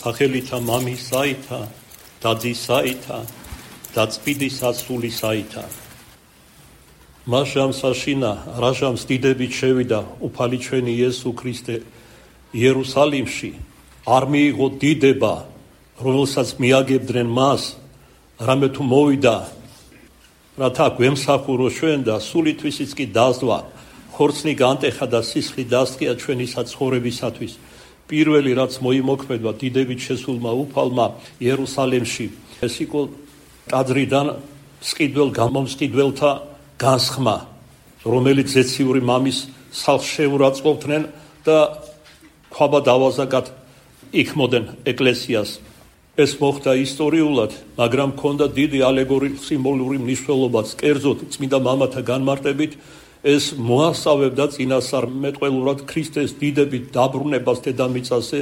სახელითა მამისაითა და ძისაითა და წმინდისა სულისაითა. მაშამ საშინა რაჟამს დიდებით შევიდა უფალი ჩვენი იესო ქრისტე იერუსალიმში, არ მიიღო დიდება, რომელსაც მიაგებდნენ მას, რამე თუ მოვიდა, რათა გვემსახურო ჩვენ და სულითვისიც კი დასდვა, ხორცნი განტეხა და სისხლი დასწია ჩვენი საცხოვრებისათვის. პირველი რაც მოიმოქმედა დიდებით შესულმა უფალმა იერუსალიმში, ეს იყო ტაძრიდან სყიდველ გამომსყიდველთა განსხმა, რომელიც ზეციური მამის სახლს შეურაცხყოფდნენ და ქვაბა დავაზაგად იქმოდნენ ეკლესიას. ეს მოხდა ისტორიულად, მაგრამ ჰქონდა დიდი ალეგორიული სიმბოლური მნიშვნელობაც. კერძოდ წმინდა მამათა განმარტებით ეს მოასწავებდა წინასწარმეტყველურად ქრისტეს დიდებით დაბრუნებას დედამიწაზე,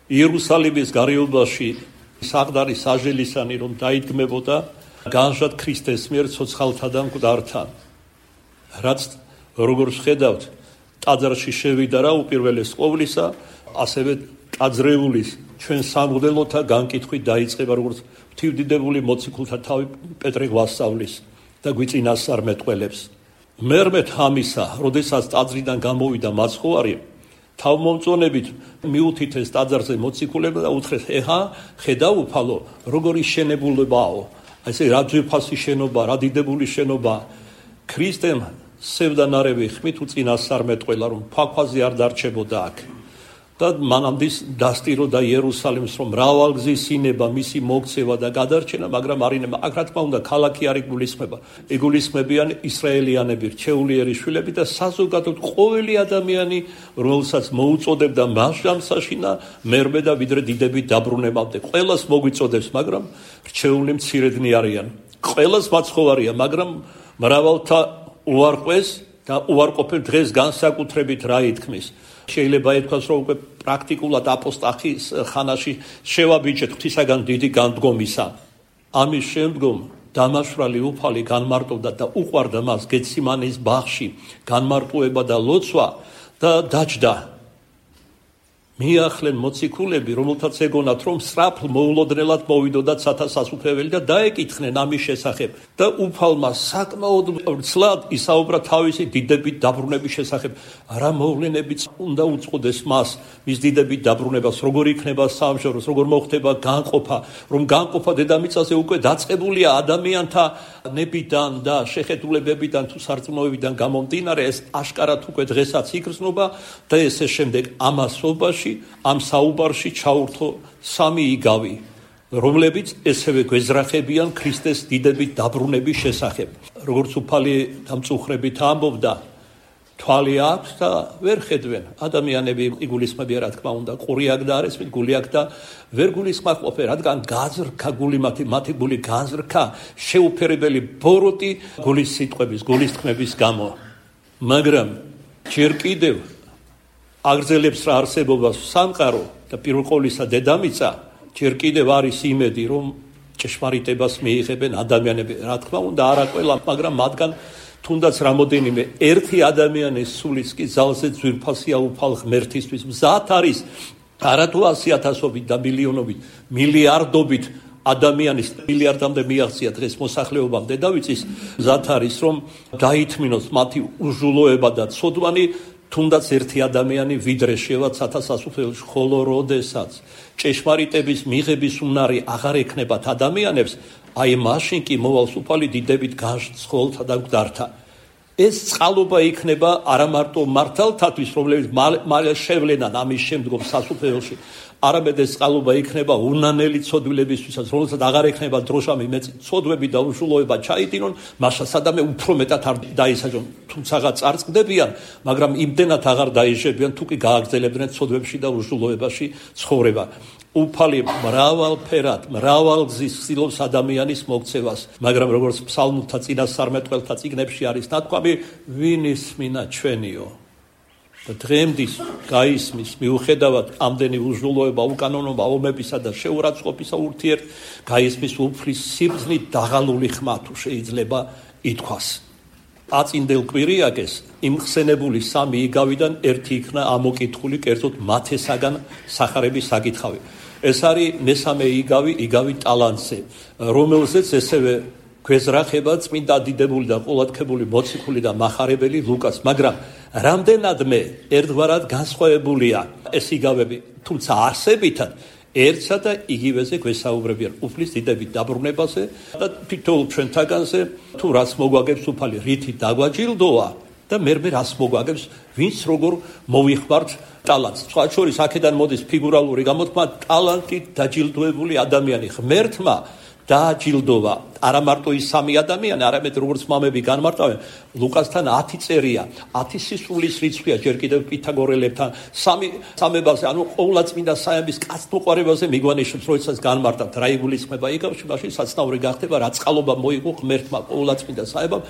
იერუსალიმის გარეუბანში საყდარი საჟელისანი რომ დაიდგმებოდა განჟად ქრისტეს მიერ ცოცხალთა და მკვდართა. რაც როგორც ხედავთ, ტაძარში შევიდა რა უპირველეს ყოვლისა, ასევე ტაძრეულის ჩვენ სამღვდელოთა განკითხვით დაიწყება, როგორც ღვთივდიდებული მოციქულთა თავი პეტრე გვასწავლის და გვიწინასწარმეტყველებს. მერმეთ ამისა, როდესაც ტაძრიდან გამოვიდა მაცხოვარი, თავმომწონებით მიუთითეს ტაძარზე მოციქულებმა და უთხრეს: ეხა ხედავ უფალო, როგორი შენებულებაო, ესე რა ძვირფასი შენობა, რა დიდებული შენობა. ქრისტემ სევდანარევი ხმით უწინასწარმეტყველა, რომ ფაქვაზე არ დარჩებოდა აქ. და მანამდე დასტიროდა იერუსალიმს, რომ მრავალგზის ინება, მისი მოქცევა და გადარჩენა, მაგრამ არინება. აქ რა თქმა უნდა, ქალაქი არ იგულისხმება. იგულისხმებიან ისრაელიანები, რჩეულიერი შვილები და საზოგადოდ ყოველი ადამიანი, რომელსაც მოუწოდებდა მასშტაბსაშინა მერმე და ვიდრე დიდებით დაბრუნებამდე. ყველას მოგვიწოდებს, მაგრამ რჩეული მცირედნი არიან. ყველას მაცხოვარია, მაგრამ მრავალთა უარყვეს და უარყოფენ დღეს განსაკუთრებით რა ითქმის. შეიძლება ითქვას, რომ უკვე პრაქტიკულად აპოსტახის ხანაში შევაბიჯეთ ღვთისაგან დიდი განდგომისა. ამის შემდგომ დამაშვრალი უფალი განმარტოვდა და უყვარდა მას გეციმანის ბაღში განმარტოება და ლოცვა და დაჯდა. მიახლენ მოციქულები, რომელთაც ეგონათ, რომ სწრაფ მოულოდნელად მოვიდოდათ სათასასუფლებელი და დაეკითხნენ ამის შესახებ. და უფალმა საკმაოდ ცლად ისაუბრა თავისი დიდებით დაბრუნების შესახებ. რა მოვლენებიც უნდა უწყოდეს მას, მის დიდებით დაბრუნებას, როგორ იქნება სამშობლოს, როგორ მოხდება განყოფა, რომ განყოფა დედამიწაზე უკვე დაწყებულია ადამიანთა ნებიდან და შეხედულებებიდან თუ სარწმუნოებიდან გამომდინარე, ეს აშკარად უკვე დღესაც იგრძნობა და ესე შემდეგ ამასობაში ამ საუბარში ჩაურთო სამი იგავი, რომლებიც ესევე გვეძრახებიან ქრისტეს დიდებით დაბრუნების შესახებ. როგორც უფალი დამწუხრებით ამბობდა, თვალი აქვს და ვერ ხედვენ. ადამიანები იგულისხმებიან, რა თქმა უნდა, ყური აქ და არის, გული აქ და ვერ გულისხმობენ, რადგან გაზრქა გული მათი გული გაზრქა, შეუფერებელი ბოროტი გულის სიტყვების, გულის თქმების გამო. მაგრამ ჯერ კიდევ აგრძელებს რა არსებობას სამყარო და პირველ ყოვლისა დედამიწა, ჯერ კიდევ არის იმედი, რომ ჭეშმარიტებას მიიღებენ ადამიანები. რა თქმა უნდა, არა ყველა, მაგრამ მათგან თუნდაც რამოდენიმე ერთი ადამიანის სულიც კი ძალზე ძვირფასია უფალ ღმერთისთვის. მზად არის არათუ 100,000-ობით და მილიონობით, მილიარდობით ადამიანის მილიარდამდე მიაღწია დღეს მოსახლეობამ დედავიწის. მზად არის, რომ დაითმინოს მათი უჟულოება და ცოდვანი, თუნდაც ერთი ადამიანი ვიდრე შევა სათასასუფლებელში, ხოლო როდესაც ჭეშმარიტების მიღების უნარი აღარ ექნებათ ადამიანებს, აი მაშინ კი მოვავს უფალი დიდებით განსხოლთა და მკვდართა. ეს წყალობა იქნება არა მარტო მართალთათვის, რომლებიც მალე შევლენან ამის შემდგომ სასუფეველში, არამედ ეს წყალობა იქნება უნანელი ცოდვილებისთვისაც, რომელსაც აღარ ექნება დროშა მიმეწ ცოდვები და უშულოება ჩაიდინონ, მაშა სადამე უფრო მეტად არ დაისაჯონ, თუმცაღა წარწყდებიან, მაგრამ იმდენად აღარ დაიჟებიან, თუ კი გააგრძელებდნენ ცოდვებში და უშულოებაში ცხოვრება. უფალი მრავალფერად, მრავალგზის ცდილობს ადამიანის მოქცევას, მაგრამ როგორც ფსალმუთა წინასწარმეტყველთა წიგნებში არის ნათქვამი, ვინ ისმინა ჩვენიო და დღემდის გაისმის მიუხედავად ამდენი უჟულოება, უკანონობა, ომებისა და შეურაცხყოფისა ურთიერთ გაისმის უფლის სიბრძნით დაღალული ხმა თუ შეიძლება ითქვას. აწინდელ კვირიაკეს იმ ხსენებული სამი იგავიდან ერთი იქნა ამოკითხული, კერძოდ მათესაგან სახარების საკითხავი. ეს არის მესამე იგავი ტალანტზე, რომელზეც ესევე გვეზრახება წმინდა დიდებული და ყოლადქებული მოციქული და მახარებელი ლუკას, მაგრამ რამდენადმე ერთგვარად განსხვავებულია ეს იგავები, თუმცა არსებითად ერთსა და იგივეზე გვესაუბრებიან უფლის დიდებით დაბრუნებაზე და თითოეულ ჩვენთაგანზე თუ რაც მოგვაგებს უფალი რითი დაგვაჯილდოა და მე რას მოგვაგებს ვინც როგორ მოვიხმართ ტალანტს. სხვა შორის აქედან მოდის ფიგურალური გამოთქმა ტალანტით დაჯილდოებული ადამიანი ღმერთმა დააჯილდოვა არა მარტო ის სამი ადამიანი, არამედ როგორც მამები განმარტავენ, ლუკასთან 10 წერია, 10 სისრულის რიცხვია ჯერ კიდევ პითაგორელებთან, სამებაზე, ანუ ყოვლადწმინდა საების კაცთმოყვარებაზე მიგვანიშნებს, როდესაც განმარტავთ რა იგულისხმება იგავში, მაშინ საცნაური გახდება, რა წყალობა მოიგო ღმერთმა ყოვლადწმინდა საებამ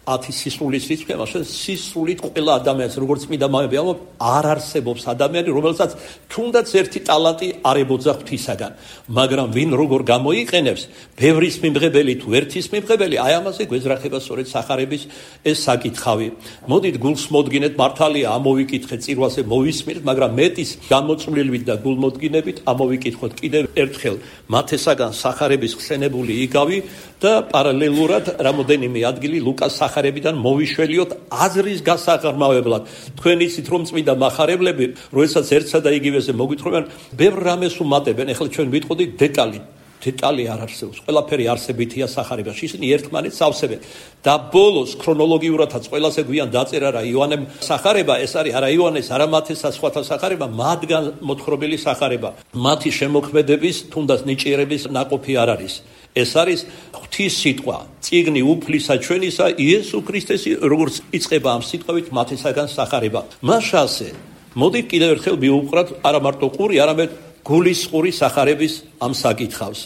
10 სისრულის რიცხვია, მაშინ სისრულით ყველა ადამიანს, როგორც წმინდა მამები ამბობ, არ არსებობს ადამიანი, რომელსაც თუნდაც ერთი ტალანტი არ ებოძა ღვთისაგან, მაგრამ ვინ როგორ გამოიყენებს, ბევრის მიმღებელი თუ ერთის მიმღებელი, აი ამაზე გვეზრახება სწორედ სახარების ეს საკითხავი. მოდით გულს მოდგინეთ, მართალია ამოვიკითხეთ, წირვაზე მოვისმინეთ, მაგრამ მეტის გამოწვლილვით და გულმოდგინებით ამოვიკითხოთ კიდევ ერთხელ მათესაგან სახარების ხსენებული იგავი და პარალელურად რამოდენიმე ადგილი ლუკას სახარებიდან მოვიშველიოთ აზრის გასაღრმავებლად. თქვენ იცით რომ წმინდა მახარებლები, როდესაც ერთსა და იგივეზე მოგვითხრობენ, ბევრ რამეს უმატებენ. ეხლა ჩვენ ვიტყოდით დეტალი არ არსებობს. ყველაფერი არსებითია სახარებაში. ისინი ერთმანეთს ავსებენ. და ბოლოს ქრონოლოგიურადაც ყველაზე გვიან დაწერა რა იოანემ სახარება, ეს არის არა იოანეს, არა მათესა, სხვათა სახარება, მათგან მოთხრობილი სახარება. მათი შემოქმედების თუნდაც ნიჭიერების ნაყოფი არ არის. ეს არის ღვთის სიტყვა, წიგნი უფლისა ჩვენისა, იესო ქრისტესი, როგორც იწყება ამ სიტყვით მათესაგან სახარება. მაშასე, მოდით კიდევ ერთხელ მივუყრათ არა მარტო ყური, არამედ გულის ყური სახარების ამ საკითხავს.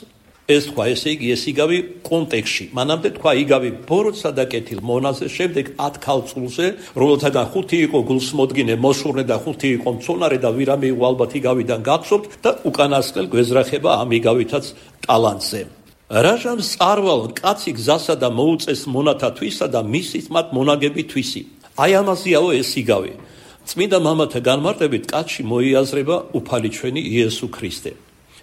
ეს თქვა, ესე იგი, ეს იგავი კონტექსში. მანამდე თქვა იგავი ბოროტსა და კეთილ მონაზე, შემდეგ 10 ქალწულზე, რომელთაგან 5 იყო გულსმოდგინე, მოსურნე და 5 იყო მცონარე და ვირამე იყო ალბათ იგავიდან გახსოვთ და უკანასკნელ გვეზრახება ამ იგავითაც ტალანტზე. რაჟამს წარვალ კაცი გზასა და მოუწეს მონათა თვისა და მისის მათ მონაგები თვისი. აი ამაზეაო ეს იგავი. წმინდა მამათა განმარტებით კაცში მოიაზრება უფალი ჩვენი იესო ქრისტე.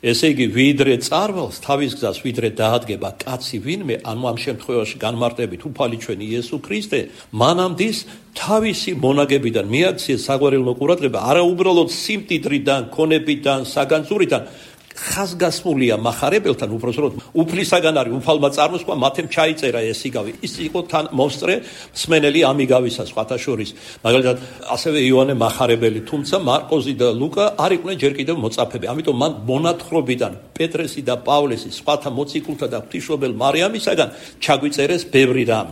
ესე იგი ვიდრე წარვალს თავის გზას ვიდრე დაადგება კაცი ვინმე, ანუ ამ შემთხვევაში განმარტებით უფალი ჩვენი იესო ქრისტე, მანამდის თავისი მონაგებიდან მიაქციეს საგვარეულო ყურადღება, არა უბრალოდ სიმდიდრიდან, ქონებიდან, საგანძურიდან, ხაზგასმულია მახარებელთან, უბრალოდ უფლისაგან არის უფალმა წარმოსყვა, მათემ ჩაიწერა ეს იგავი. ის იყო თან მოსწრე მსმენელი ამ იგავისა სხვათა შორის. მაგალითად, ასევე იოანე მახარებელი, თუმცა მარკოზი და ლუკა არ იყვნენ ჯერ კიდევ მოწაფეები. ამიტომ მან მონათხრობიდან პეტრესი და პავლესი, სხვათა მოციქულთა და ღვთისმშობელ მარიამისაგან ჩაგვიწერეს ბევრი რამ.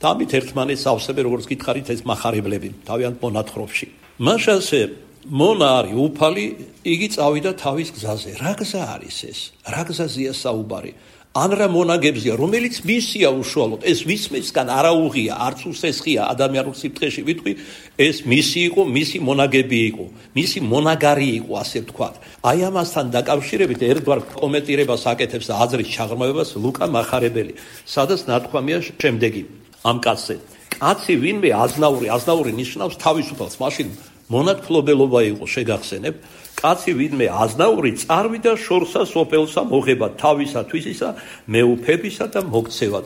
დამით ერთმანეთს ავსებენ, როგორც გითხარით, ეს მახარებლები თავიანთ მონათხრობში. მაშასე მონა არის უფალი, იგი წავიდა თავის გზაზე. რა გზა არის ეს? რა გზაზეა საუბარი? ან რა მონაგებზია, რომელიც მისია უშუალოდ. ეს ვისმისგან არაუღია, არც უსესხია ადამიანურ სიფრთხეში ვიტყვი, ეს მისი იყო, მისი მონაგები იყო, მისი მონაგარი იყო, ასე ვთქვათ. აი ამასთან დაკავშირებით ერთგვარ კომენტირებას აკეთებს და აზრის ჩაღრმავებას ლუკა მახარებელი, სადაც ნათქვამია შემდეგი ამ კაცზე. კაცი ვინმე აზნაური ნიშნავს თავისუფალს, მაშინ მონათმფლობელობა იყო, შეგახსენებ, კაცი ვინმე აზნაური წარვიდა შორსა სოფელსა მოღება თავისა თვისისა მეუფებისა და მოგცევად.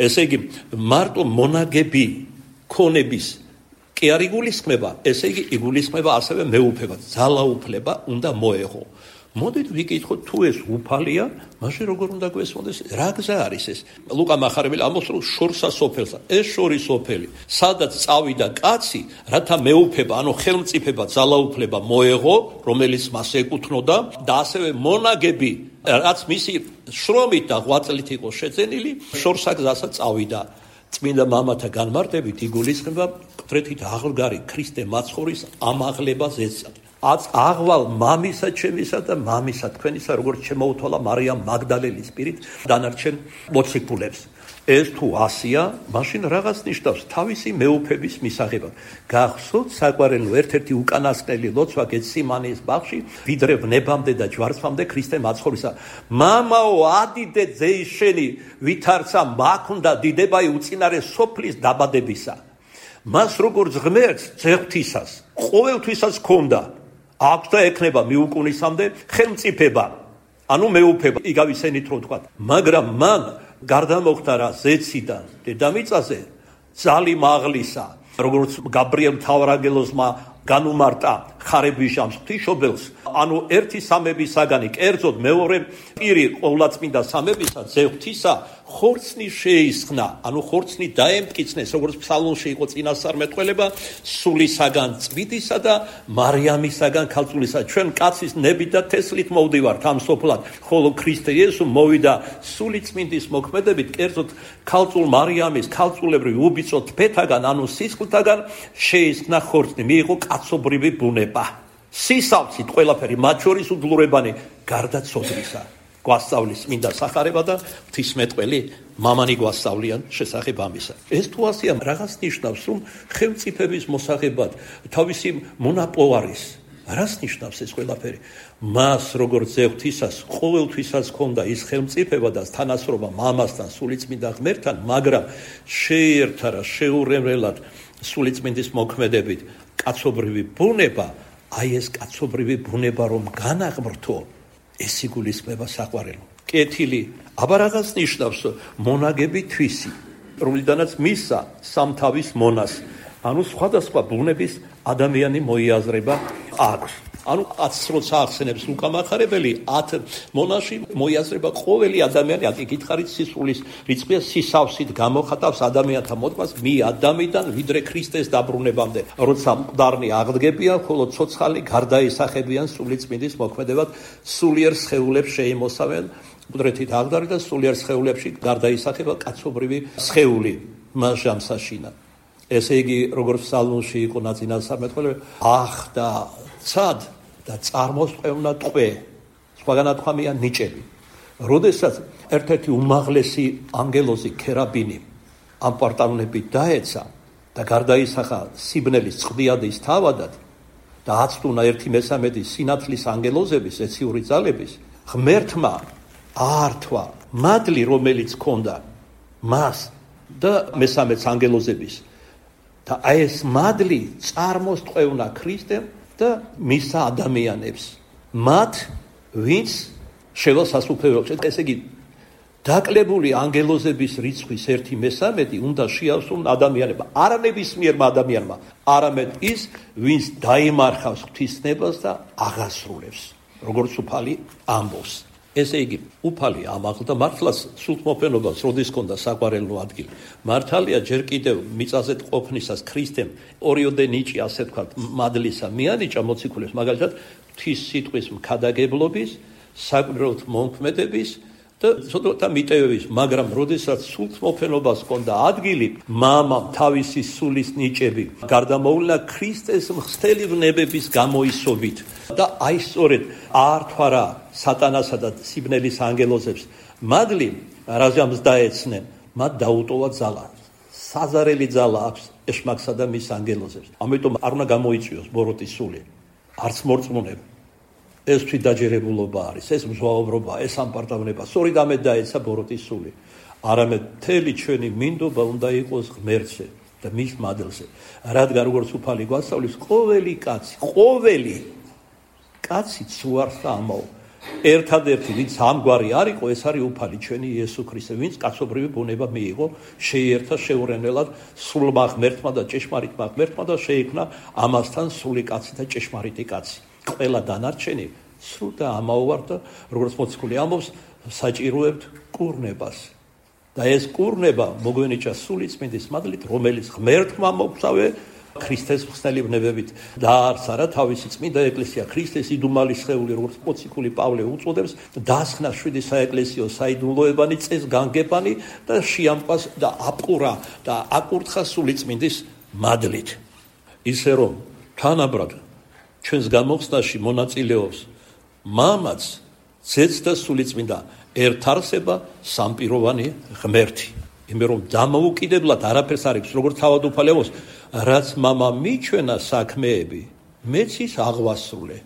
ესე იგი მარტო მონაგები ქონების კი არ იგულისხმება, ესე იგი იგულისხმება ასევე მეუფებად, ძალაუფლება უნდა მოეღო. მოდით ვიკითხოთ, თუ ეს უფალია, მაშინ როგორ უნდა გვესმოდეს, რა გზა არის ეს? ლუკა მახარებელი ამბობს, რომ შორსა სოფელსა, ეს შორის სოფელი, სადაც წავიდა კაცი, რათა მეუფება, ანუ ხელმწიფება, ძალაუფლება მოეღო, რომელიც მას ეკუთვნოდა და ასევე მონაგები, რაც მისი შრომით და ღვაწლით იყო შეძენილი, შორსა გზასა წავიდა. წმინდა მამათა განმარტებით იგულისხმება მკვეთრით აღლგარი ქრისტე მაცხოვრის ამაღლებაზეცად. აღვალ მამისა ჩემისა და მამისა თქვენისა, როგორც შემოუთვალა მარიამ მაგდალელის პირით დანარჩენ მოციქულებს. ეს თუ ასია, მაშინ რაღაც ნიშნავს თავისი მეუფების მისაღებად. გახსოვთ საყვარელო ერთ-ერთი უკანასკნელი ლოცვა გეციმანეს ბაღში, ვიდრე ვნებამდე და ჯვარცმამდე ქრისტე მაცხოვრისა. მამაო, ადიდე ძეიშენი, ვითარცა მაქუნდა დიდებაი უწინარე სოფლის დაბადებისა. მას როგორც ღმერთს, ძეღვთისას, ყოველთვისაც ჰქონდა. აქვს და ექნება მიუკუნისამდე ხელმწიფება, ანუ მეუფება, იგავისენით რო ვთქვა. მაგრამ მან გარდა მოხდა რა ზეციდან დედამიწაზე ძალი მაღლისა, როგორც გაბრიელ მთავარანგელოზმა განუმარტა ხარებიშამს ღვთისმშობელს, ანუ ერთი სამებისაგანი, კერძოდ მეორე პირი ყოვლადწმინდა სამებისა, ძე ღვთისა, ხორცნი შეისხნა, ანუ ხორცნი დაემტკიცნეს, როგორც ფსალმონში იყო წინასწარმეტყველება, სულისაგან წვიდისა და მარიამისაგან ქალწულისა. ჩვენ კაცის ნებით და თესლით მოვდივართ ამ სოფლად, ხოლო ქრისტე იესო მოვიდა სულიწმინდის მოქმედებით, კერძოდ ქალწულ მარიამის ქალწულებრივ უბიცო თფეთაგან, ანუ სისხლთაგან შეისხნა ხორცნი, მიიღო კაცობრივი ბუნება. სისავსით ყველაფერი, მათ შორის უდლურებანი გარდა ცოდვისა. გვასწავლის წმინდა სახარება და ღვთისმეტყველი მამანი გვასწავლიან შესახებ ამისა. ეს თუ ასეა, რაღაც ნიშნავს, რომ ხელმწიფების მოსაღებად თავისი მონაპოვარის, რას ნიშნავს ეს ყველაფერი? მას როგორც ძე ღვთისას ყოველთვისაც ჰქონდა ის ხელმწიფება და თანასწორობა მამასთან, სულიწმინდა ღმერთთან, მაგრამ შეიერთა რა შეურევლად სულიწმინდის მოქმედებით კაცობრივი ბუნება, აი ეს კაცობრივი ბუნება რომ განაღმრთო, ეს იგულისხმება საყვარელო. კეთილი, აბა რაღაც ნიშნავს მონაგები თვისი, რომლიდანაც მისცა სამთავის მონას, ანუ სხვადასხვა ბუნების ადამიანი მოიაზრება აქვს. ანუ 10 როცა ახსენებს ლუკა მახარებელი, 10 მონაში მოიაზრება ყოველი ადამიანი, აქ იკითხარით სისხლის რიცხვია, სისავსით გამოხატავს ადამიანთა მოდგმას მი ადამიდან ვიდრე ქრისტეს დაბრუნებამდე. როცა მკვდარნი აღდგებიან, ხოლო ცოცხალი გარდაისახებიან სულიწმინდის მოქმედებად, სულიერ სხეულებს შეიმოსავენ, მკვდრეთით აღდარი და სულიერ სხეულებში გარდაისახება კაცობრივი სხეული მას ჟამსაშინა. ესე იგი, როგორც ფსალმონში იყო ნაწინასწარმეტყველება, ახდა ცად და წარმოსყევნა ტყვე, სხვაგან ათქვამია ნიჭები. როდესაც ერთ-ერთი უმაღლესი ანგელოზი ქერაბინი ამ პარტალონებით დაეცა და გარდაისახა სიბნელის წყდიადის თავადად და აცტუნა 1/3 სინათლის ანგელოზების ეციური ძალების, ღმერთმა აართვა მადლი, რომელიც ჰქონდა მას და მესამეც ანგელოზების. და აი ეს მადლი წარმოსტყვევნა ქრისტემ და მისცა ადამიანებს, მათ ვინც შევა სასუფეველში. ესე იგი, დაკლებული ანგელოზების რიცხვის 1/3 უნდა შეავსონ ადამიანებმა, არა ნებისმიერმა ადამიანმა, არამედ ის, ვინც დაიმარხავს ღვთისნებას და აღასრულებს, როგორც უფალი ამბობს. ესე იგი, უფალი ამაღლდა მართლაც სულთმოფენობას, როდის ჰქონდა საყვარელო ადგილი. მართალია ჯერ კიდევ მიწაზე ყოფნისას ქრისტემ ორიოდე ნიჭი, ასე ვთქვათ, მადლისა მიანიჭა მოციქულებს, მაგალითად, ღვთის სიტყვის მქადაგებლობის, საკვირველთ მომქმედების და ცოტა მიტევების, მაგრამ როდესაც სულთმოფენობას ჰქონდა ადგილი, მამამ თავისი სულის ნიჭები გარდამოუვლინა ქრისტეს მხსთელი ვნებების გამოისობით და აი სწორედ აართვა რა სატანასა და სიბნელის ანგელოზებს მადლი, რაზამს დაეცნენ, მათ დაუტოვა ძალა. საზარელი ძალა აქვს ეშმაკსა და მის ანგელოზებს. ამიტომ არ უნდა გამოიწვიოს ბოროტის სული, არც მორწმუნეები. ეს თვითდაჯერებულობა არის, ეს მზვაობრობა, ეს ამპარტავნება. სწორედ ამით დაეცა ბოროტის სული. არამედ მთელი ჩვენი მინდობა უნდა იყოს ღმერთზე და მის მადლზე. რადგან როგორც უფალი გვასწავლის, ყოველი კაცი ცუარს და ამაო. ერთადერთი, ვინც ამგვარი არ იყო, ეს არის უფალი ჩვენი იესო ქრისტე, ვინც კაცობრივი ბუნება მიიღო, შეიერთა შეურენელად სულმა ღმერთმა და ჭეშმარიტმა ღმერთმა და შეიქმნა ამასთან სული კაცი და ჭეშმარიტი კაცი. ყველა დანარჩენი სრულ და ამაოვარ და როგორც მოციქული ამბობს, საჭიროებთ კურნებას. და ეს კურნება მოგვენიჭა სულიწმინდის მადლით, რომელიც ღმერთმა მოგწავე ქრისტეს მხსნელი ვნებებით დაარსა რა თავისი წმინდა ეკლესია, ქრისტეს იდუმალი სხეული, როგორც მოციქული პავლე უწოდებს, დასხნა 7 საეკლესიო საიდუმლოებანი, წესგანგებანი და შეამყვას და აპყურა და აკურთხა სულიწმინდის მადლით. ისე რომ თანაბრად ჩვენს გამოხსნაში მონაწილეობს მამაც, ძეც და სულიწმინდა ერთარსება სამპიროვანი ღმერთი. იმე რომ დამოუკიდებლად არაფერს არ აქვს, როგორც თავად უფალი ამბობს, რაც მამა მიჩვენა საქმეები, მეც ის აღვასრულე,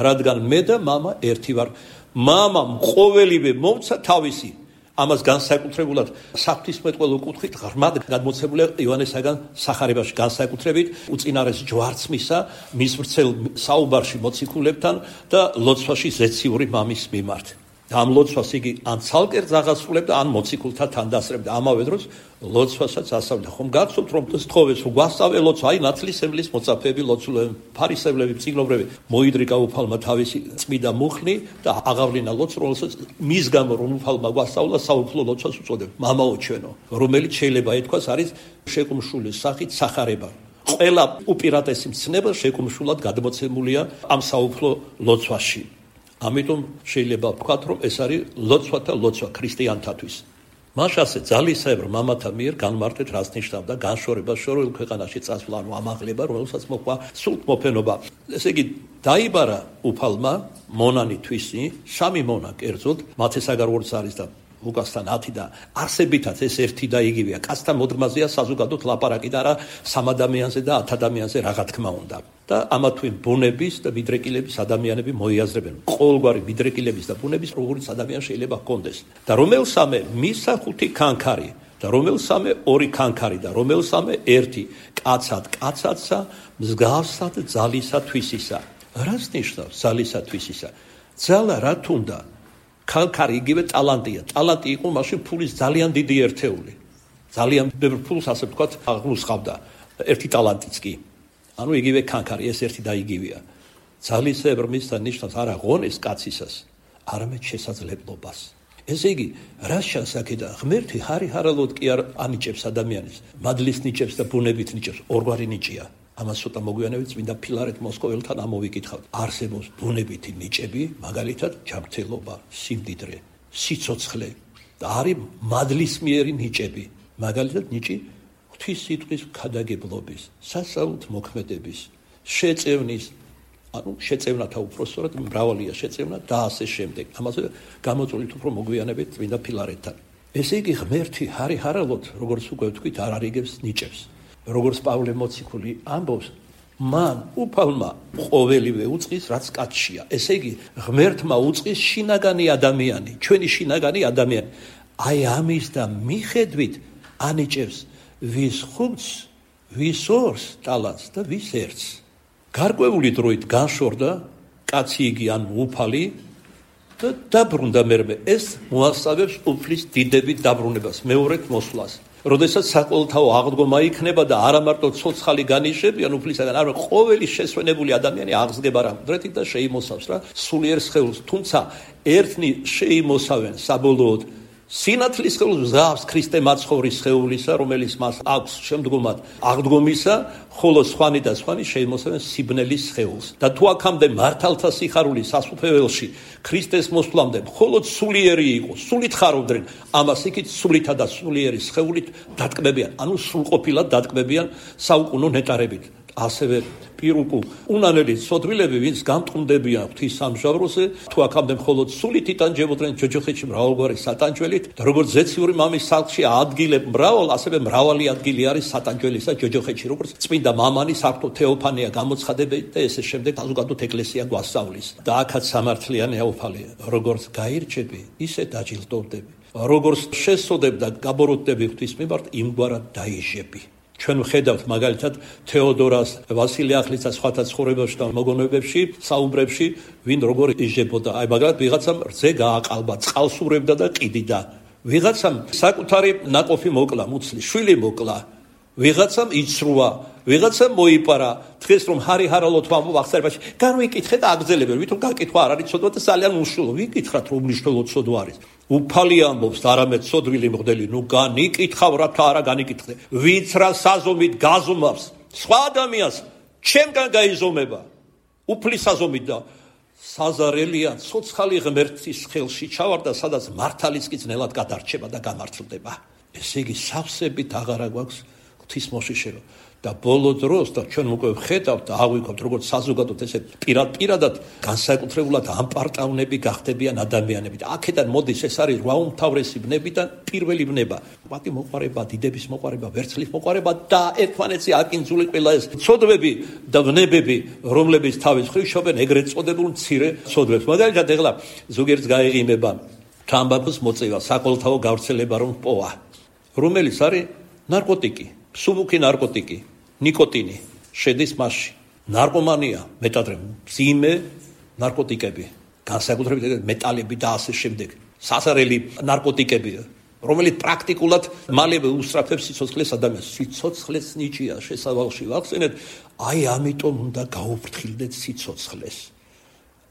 რადგან მე და მამა ერთი ვარ. მამამ ყოველივე მომცა თავისი ამას განსაკუთრებულად საღვთისმეტყველო კუთხით ღრმად გადმოცემულია იოანესაგან სახარებაში, განსაკუთრებით უწინარეს ჯვარცმისა მის ვრცელ საუბარში მოციქულებთან და ლოცვაში ზეციური მამის მიმართ. ამ ლოცვას იგი ან ცალკე აღასრულებდა, ან მოციქულთან თანდასწრებდა. ამავე დროს ლოცვასაც ასწავლიდა. ხომ გახსოვთ, რომ სთხოვეს გვასწავლე ლოცვა, აი ნათლისმებლის მოწაფეები, ლოცულები, ფარისევლები, წიგნობრები მოიდრიკა უფალმა თავისი წმიდა მუხლი და აღავლინა ლოცვა, რომელსაც მის გამო რომ უფალმა გვასწავლა საუფლო ლოცვას უწოდებ. მამაო ჩვენო, რომელიც შეიძლება ითქვას არის შეკუმშულის სახით სახარება. ყველა უპირატესი მცნება შეკუმშულად გადმოცემულია ამ საუფლო ლოცვაში. ამიტომ შეიძლება ვთქვათ, რომ ეს არის ლოცვათა ლოცვა ქრისტიანთათვის. მას ასე ძალისებრ მამათა მიერ განმარტეთ, რაც ნიშნავდა განშორება შორეულ ქვეყანაში წასვლა, ანუ ამაღლება, რომელსაც მოყვა სულთმოფენობა. ესე იგი, დაიბარა უფალმა მონანი თვისი, 3 მონა კერძოდ, მათესაგარვორიც არის და ლუკასთან 10 და არსებითაც ეს ერთი და იგივეა. კაცთან მოდგმაზეა საზოგადოდ ლაპარაკი და არა სამ ადამიანზე და 10 ადამიანზე რა თქმა უნდა. და ამა თუ იმ ბუნების და მიდრეკილების ადამიანები მოიაზრებენ. ყოველგვარი მიდრეკილების და ბუნების როგორიც ადამიანი შეიძლება ჰქონდეს. და რომელსამე მისა 5 კანქარი და რომელსამე 2 კანქარი და რომელსამე 1 კაცად კაცადსა მსგავსად ძალისა თვისისა. რას ნიშნავს ძალისა თვისისა? ძალა რა თუნდა? კანქარი იგივე ტალანტია. ტალანტი იყო მაშინ ფულის ძალიან დიდი ერთეული. ძალიან ბევრ ფულს ასე ვთქვათ აღნუსხავდა. ერთი ტალანტიც კი. ანუ იგივე კანქარი, ეს ერთი და იგივეა. ძალისებრ მისთან ნიშნავს არა ღონეს კაცისას, არამედ შესაძლებლობას. ესე იგი, რა შესაძლებელია? ღმერთი ჰარი-ჰარალოდ კი არ ანიჭებს ადამიანის. მადლის ნიჭებს და ბუნებით ნიჭებს, ორგვარი ნიჭია. ამას ცოტა მოგვიანებით წმინდა ფილარეთ მოსკოველთან ამოვიკითხავთ. არსებობს ბუნებითი ნიჭები, მაგალითად, ჯანმრთელობა, სიმდიდრე, სიცოცხლე და არის მადლისმიერი ნიჭები. მაგალითად, ნიჭი ღვთის სიტყვის ქადაგებლობის, სასწაულთ მოქმედების, შეწევნის, ანუ შეწევნათა უпроსტად მრავალია შეწევნა და ასე შემდეგ. ამაზე გამოწვევით უფრო მოგვიანებით წმინდა ფილარეთთან. ესე იგი, ღმერთი ჰარი-ჰარალოდ, როგორც უკვე ვთქვით, არ არიგებს ნიჭებს. როგორც პავლე მოციქული ამბობს, მან უფალმა ყოველივე უწყის, რაც კაცშია. ესე იგი, ღმერთმა უწყის შინაგანი ადამიანი, ჩვენი შინაგანი ადამიანი. აი ამის და მიხედვით ანიჭებს ვის ხუთს, ვის ორს ტალანტს და ვის ერთს. გარკვეული დროით განშორდა კაცი იგი ან უფალი და დაბრუნდა მერმე. ეს მოასწავებს უფლის დიდებით დაბრუნებას, მეორედ მოსვლას. როდესაც საყოველთაო აღდგომა იქნება და არა მარტო ცოცხალი განიშებიან უფლისაგან, არამედ ყოველი შესვენებული ადამიანი აღსგება რა მკვდრეთით და შეიმოსავს რა სულიერ სხეულს. თუმცა ერთნი შეიმოსავენ საბოლოოდ სინათლის სხეულს მსგავს ქრისტე მაცხოვრის სხეულისა, რომელიც მას აქვს შემდგომად აღდგომისა, ხოლო სხვანი და სხვანი შეიმოსავენ სიბნელის სხეულს. და თუ აქამდე მართალთა სიხარული სასუფეველში ქრისტეს მოსვლამდე მხოლოდ სულიერი იყო, სულით ხარობდნენ, ამას იქით სულითა და სულიერი სხეულით დატკბებიან, ანუ სრულყოფილად დატკბებიან საუკუნო ნეტარებით. ასევე პირუკუ უნანელი სოდვილები, ვინც გამტყუნდებიან ღვთის სამჟავროზე, თუ აქამდე მხოლოდ სულით იტანჯებოდნენ ჯოჯოხეთში მრავალგვარი სატანჯველით, და როგორც ზეციური მამის სახლში ადგილებ მრავალ, ასევე მრავალი ადგილი არის სატანჯველისა ჯოჯოხეთში, როგორც წმინდა მამანი საფრთხო თეოფანია გამოცხადებდა და ესე შემდეგ საზოგადოებრივ ეკლესია გვასწავლის. და აქაც სამართლიანია უფალი, როგორც გაირჩები, ისე დაჯილდოვდები. როგორც შესწოდებ და გაბოროტდები ღვთის მიმართ, იმგვარად დაიჟები. ჩვენ ვხედავთ მაგალითად თეოდორას, ვასილე ახლიცას სხვათა ცხოვრებაში და მოგონებებში, საუბრებში, ვინ როგორ იჟებოდა. აი მაგალითად ვიღაცამ რძე გააყალბა, წყალს ურევდა და ყიდიდა. ვიღაცამ საკუთარი ნაყოფი მოკლა, მუცლი, შვილი მოკლა. ვიღაცამ იცრუა, ვიღაცამ მოიპარა. დღეს რომ ჰარი-ჰარალოდ ვამბობ აღწერებაში, განვიკითხეთ და აგრძელებენ, ვითომ გაკითხვა არ არის ცოდვა და ძალიან უშვილო. ვიკითხათ რომ მნიშვნელო ცოდვა არის. უფალი ამბობს, არამედ სოდვილი მღვდელი, ნუ განიკითხავ რა და არა განიკითხე. ვინც რა საზომით გაზომავს სხვა ადამიანს, ჩემგან გაიზომება. უფლის საზომით და საზარელია ცოცხალი ღმერთის ხელში ჩავარდა, სადაც მართალიც კი ძნელად გადარჩება და გამართლდება. ესე იგი, სავსებით აღარა გვაქვს ღვთის მოშიშება. და ბოლო დროს და ჩვენ უკვე ვხედავთ და აღვიქვამთ, როგორც საზოგადოებრივ ესე პირადად განსაკუთრებულად ამპარტავნები გახდებიან ადამიანები. და აქედან მოდის ეს არის რვა უმთავრესი ბნებიდან პირველი ბნება. პატი მოყარება, დიდების მოყარება, ვერცხლის მოყარება და ერთმანეთზე აკინძული ყველა ეს ცოდვები და ბნებები, რომლებიც თავის მხრივ შობენ ეგრეთ წოდებულ მცირე ცოდვებს. მაგალითად, ეხლა ზოგიერთს გაეღიმება თამბაქოს მოწევა, საკოლთაო გავრცელება რომ პოვა, რომელიც არის ნარკოტიკი, სუბუქი ნარკოტიკი, ნიკოტინი შედის მასში. ნარკომანია, მეტადრე მძიმე ნარკოტიკები, განსაკუთრებით მეტალები და ასე შემდეგ. სასარელი ნარკოტიკები, რომელიც პრაქტიკულად მალევე უსწრაფებს სიცოცხლეს ადამიანს. სიცოცხლეს ნიჭია შესავალში ვახსენეთ, აი ამიტომ უნდა გაუფრთხილდეთ სიცოცხლეს.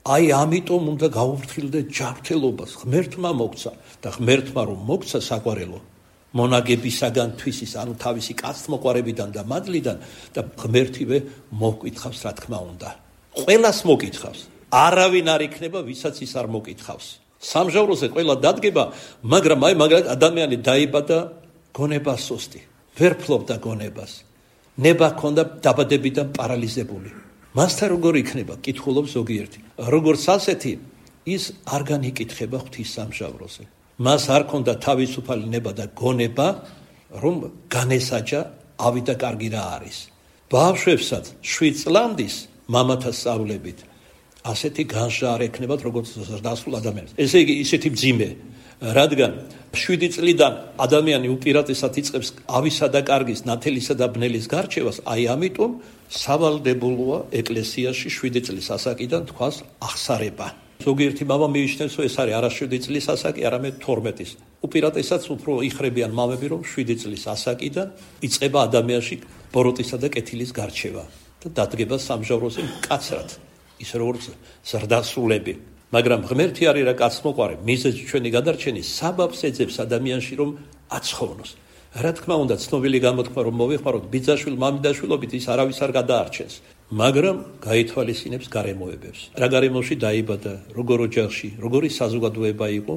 აი ამიტომ უნდა გაუფრთხილდეთ ჯანმრთელობას. ღმერთმა მოგცა და ღმერთმა რომ მოგცა საყვარელო მონაგებისაგან თვისის, ანუ თავისი კაცთმოყვარებიდან და მადლიდან და ღმერთივე მოგკითხავს, რა თქმა უნდა. ყველას მოგკითხავს. არავინ არ იქნება, ვისაც ის არ მოგკითხავს. სამჟავროზე ყველა დადგება, მაგრამ აი მაგალითად ადამიანი დაიბადა გონებას სოსტი, ვერ ფლობდა გონებას. ნება ჰქონდა დაბადებიდან პარალიზებული. მასთან როგორ იქნება? კითხულობს ზოგიერთი. როგორც ასეთი, ის არ განიკითხება ღვთის სამჟავროზე. მას არ ჰქონდა თავისუფალი ნება და გონება, რომ განესაჯა ავიდა კარგი რა არის. ბავშვებსაც 7 წლამდის მამათა სწავლებით ასეთი განსჯა არ ექნებათ, როგორც ზრდასრულ ადამიანს. ესე იგი, ისეთი მძიმე, რადგან 7 წლიდან ადამიანი უპირატესად იწყებს ავისა და კარგის, ნათელისა და ბნელის გარჩევას, აი ამიტომ სავალდებულოა ეკლესიაში 7 წლის ასაკიდან თქვას აღსარება. ზოგიერთი მამა მიიჩნევს, რომ ეს არის არა 7 წლის ასაკი, არამედ 12-ის. უპირატესად უფრო იხრებიან მამები, რომ 7 წლის ასაკიდან იწყება ადამიანში ბოროტისა და კეთილის გარჩევა და დადგება სამჟავროზე მკაცრად. ის როგორც ზრდასრულები, მაგრამ ღმერთი არის რა კაცმოყვარე, მიზეზი ჩვენი გადარჩენის საბაბს ეძებს ადამიანში რომ აცხოვროს. რა თქმა უნდა, ცნობილი გამოთქმა რომ მოვიხმაროთ ბიძაშვილ მამიდაშვილობით ის არავის არ გადაარჩენს, მაგრამ გაითვალისწინებს გარემოებებს. რა გარემოში დაიბადა, როგორ ოჯახში, როგორი საზოგადოება იყო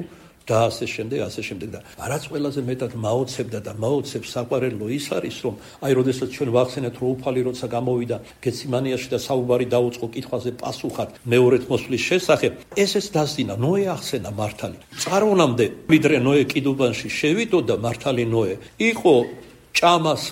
და ასე შემდეგ და რაც ყველაზე მეტად მაოცებდა და მაოცებს საყვარელო ის არის, რომ აი როდესაც ჩვენ ვახსენეთ, რომ უფალი როცა გამოვიდა გეციმანიაში და საუბარი დაუწყო კითხვაზე პასუხად მეორეთ მოსვლის შესახებ, ესეც დასძინა, ნოე ახსენა მართალი. წარვანამდე ვიდრე ნოე კიდუბანში შევიდოდა, მართალი ნოე იყო ჭამას,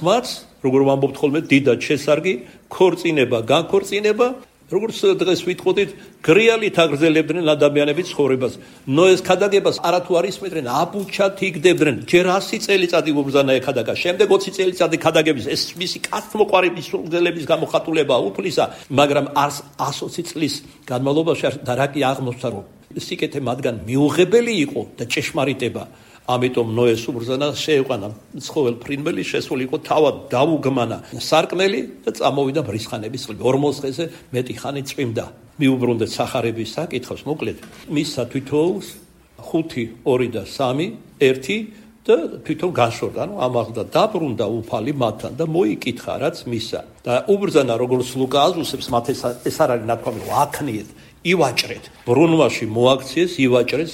როგორ ვამბობთ ხოლმე, დიდად შესარგი, ქორწინება, განქორწინება, როგორც დღეს ვიტყოდით, გრიალით აგრძელებდნენ ადამიანების ცხოვრებას. ნოეს ქადაგებას არათუ არ ისმენდნენ, აბუჩად იგდებდნენ. ჯერ 100 წელიწადი უბრძანა ეკადაგა, შემდეგ 20 წელიწადი ქადაგების, ეს მისი კაცთმოყვარების სულგზელების გამოხატულება უფლისა, მაგრამ 120 წლის განმავლობაში და რა კი აღმოჩნდა, რომ სიკეთე მათგან მიუღებელი იყო და ჭეშმარიტება. ამიტომ ნოეს უბრძანა შეეყვანა ცხოველ ფრინველი, შესული იყო თავად დაუგმანა სარკმელი და წამოვიდა ბრისხანების წყლები. 40 დღეზე მეტი ხანი წვიმდა. მიუბრუნდეთ სახარების საკითხავს, მოკლედ მისცა თვითოულს 5, 2 და 3, 1 და თვითონ განშორდა, ანუ ამაღლდა, დაბრუნდა უფალი მათთან და მოიკითხა, რაც მისცა. და უბრძანა, როგორც ლუკა აზუსებს, მათ ეს არ არის ნათქვამი, რომ აქნიეთ, ივაჭრეთ, ბრუნვაში მოაქციეს, ივაჭრეს.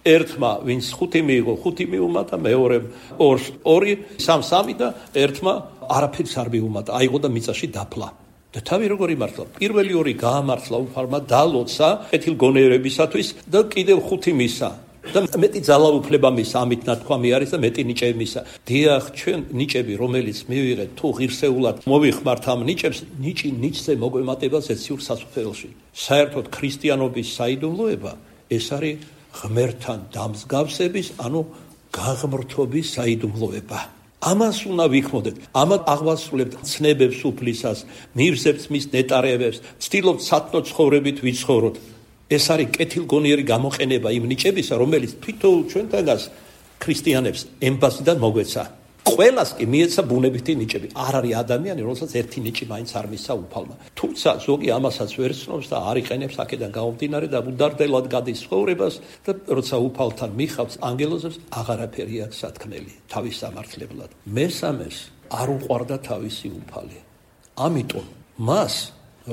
ერთმა ვინც 5 მიიღო, 5 მიუმატა, მეორემ 2, 3 და ერთმა არაფერს არ მიუმატა, აიღო და მიწაში დაფლა. და თავი როგორ იმართლა? პირველი 2 გაამართლა უფალმა, დალოცა კეთილგონიერებისათვის და კიდევ 5 მისა. და მეტი ძალაუფლება მისა, ამით ნათქვამი არის და მეტი ნიჭები მისა. დიახ, ჩვენ ნიჭები, რომელიც მივიღეთ, თუ ღირსეულად მოვიხმართ ამ ნიჭებს, ნიჭი ნიჭზე მოგვემატება ზეციურ სასუფეველში. საერთოდ ქრისტიანობის საიდუმლოება ეს არის ღმერთთან დამსგავსების, ანუ გაღმრთობის საიდუმლოება. ამას უნდა ვიქმოდეთ. ამათ აღვასრულებთ ცნებებს უფლისას, მივსებთ მის ნეტარებებს, ვცდილობთ სათნო ცხოვრებით ვიცხოვროთ. ეს არის კეთილგონიერი გამოყენება იმ ნიჭებისა, რომელიც თვითონ ჩვენთანაც ქრისტიანებს ემბაზიდან მოგვეცა. ყველას კი მიეცა ბუნებითი ნიჭები. არ არის ადამიანი, რომელსაც ერთი ნიჭი მაინც არ მისცა უფალმა. თუმცა ზოგი ამასაც ვერ ცნობს და არ იყენებს აქედან გამომდინარე და უდარდელად გადის ცხოვრებას და როცა უფალთან მიხავს ანგელოზებს, აღარაფერი აქვს სათქმელი თავის სამართლებლად. მესამეს არ უყვარდა თავისი უფალი. ამიტომ მას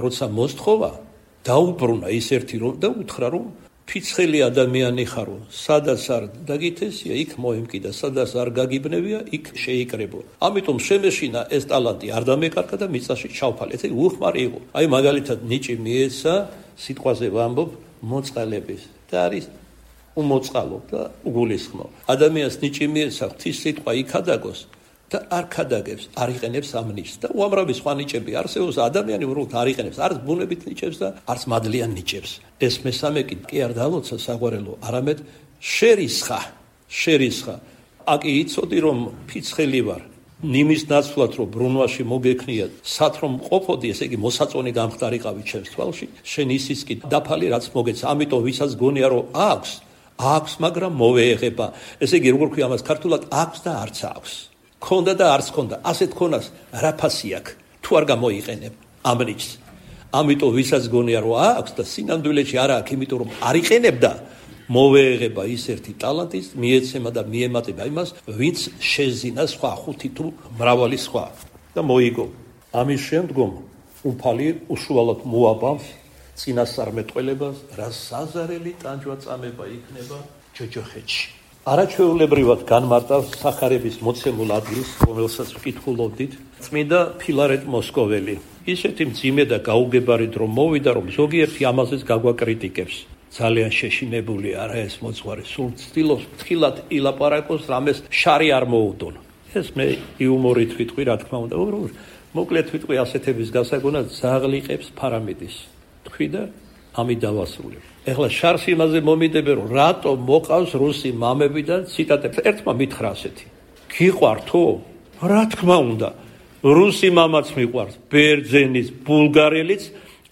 როცა მოსთხოვა, დაუბრუნა ის ერთი რომ და უთხრა რომ ფიცხელი ადამიანი ხარო, სადაც არ დაგითესია, იქ მოემკიდა, სადაც არ გაგიბნევია, იქ შეიკრებო. ამიტომ შემეშინა ეს ტალანტი არ დამეკარგა და მიწაში ჩავფალე. ესე უხმარი იყო. აი მაგალითად ნიჭი მიეცა, სიტყვაზე ვამბობ, მოწყალების და არის უმოწყალო და უგულისხმო. ადამიანს ნიჭი მიეცა, ღვთის სიტყვა იქადაგოს და არ ქადაგებს, არ იყენებს ამ ნიჭს და უამრავი სხვა ნიჭები არსებობს. ადამიანი უბრალოდ არ იყენებს არც ბუნებით ნიჭებს და არც მადლიან ნიჭებს. ეს მესამე კი არ დალოცა საყვარელო, არამედ შერისხა აკი იცოდი რომ ფიცხელი ვარ ნიმის ნაცვლად რომ ბრუნვაში მოგექნიათ სად რომ ყოფოდი ესე იგი მოსაწონი გამხდარიყავი ჩემს თვალში შენ ისიც კი დაფალი რაც მოგეცა ამიტომ ვისაც გონია რომ აქვს მაგრამ მოვეღება ესე იგი როგორ ქვია ამას ქართულად აქვს და არც აქვს ქონდა და არც ქონდა ასეთ ქონას რა ფასი აქვს თუ არ გამოიყენებ ამ რიგს ამიტომ ვისაც გონია რომ აქვს და სინამდვილეში არა აქვს იმიტომ რომ არ იყენებდა მოვეღება ის ერთი ტალანტის მიეცემა და მიემატება იმას ვინც შეზინა სხვა ხუთი თუ მრავალი სხვა და მოიგო ამის შემდგომ უფალი უშუალოდ მოაბამს წინასწარმეტყველებას რა საზარელი ტანჯვა წამება იქნება ჯოჯოხეთში არაჩვეულებრივად განმარტავს სახარების მოცემულ ადგილს რომელსაც ვკითხულობდით წმინდა ფილარეტ მოსკოველი ისეთი მძიმე და გაუგებარი დრო მოვიდა რომ ზოგიერთი ამაზეც გაგვაკრიტიკებს ძალიან შეშინებული არა ეს მოძღვარი სულ ცდილობს ფრთხილად ილაპარაკოს რამეს შარი არ მოუდონ ეს მე იუმორით ვიტყვი რა თქმა უნდა მოკლედ ვიტყვი ასეთების გასაგონად ზაღლიყებს ფარამიდის თქვი და ამით დავასრულებ ეხლა შარს იმაზე მომიდებე რომ რატო მოყავს რუსი მამები და ციტატებს ერთმა მითხრა ასეთი გიყვართო რა თქმა უნდა რუსი მამაც მიყვარს ბერძენის ბულგარელიც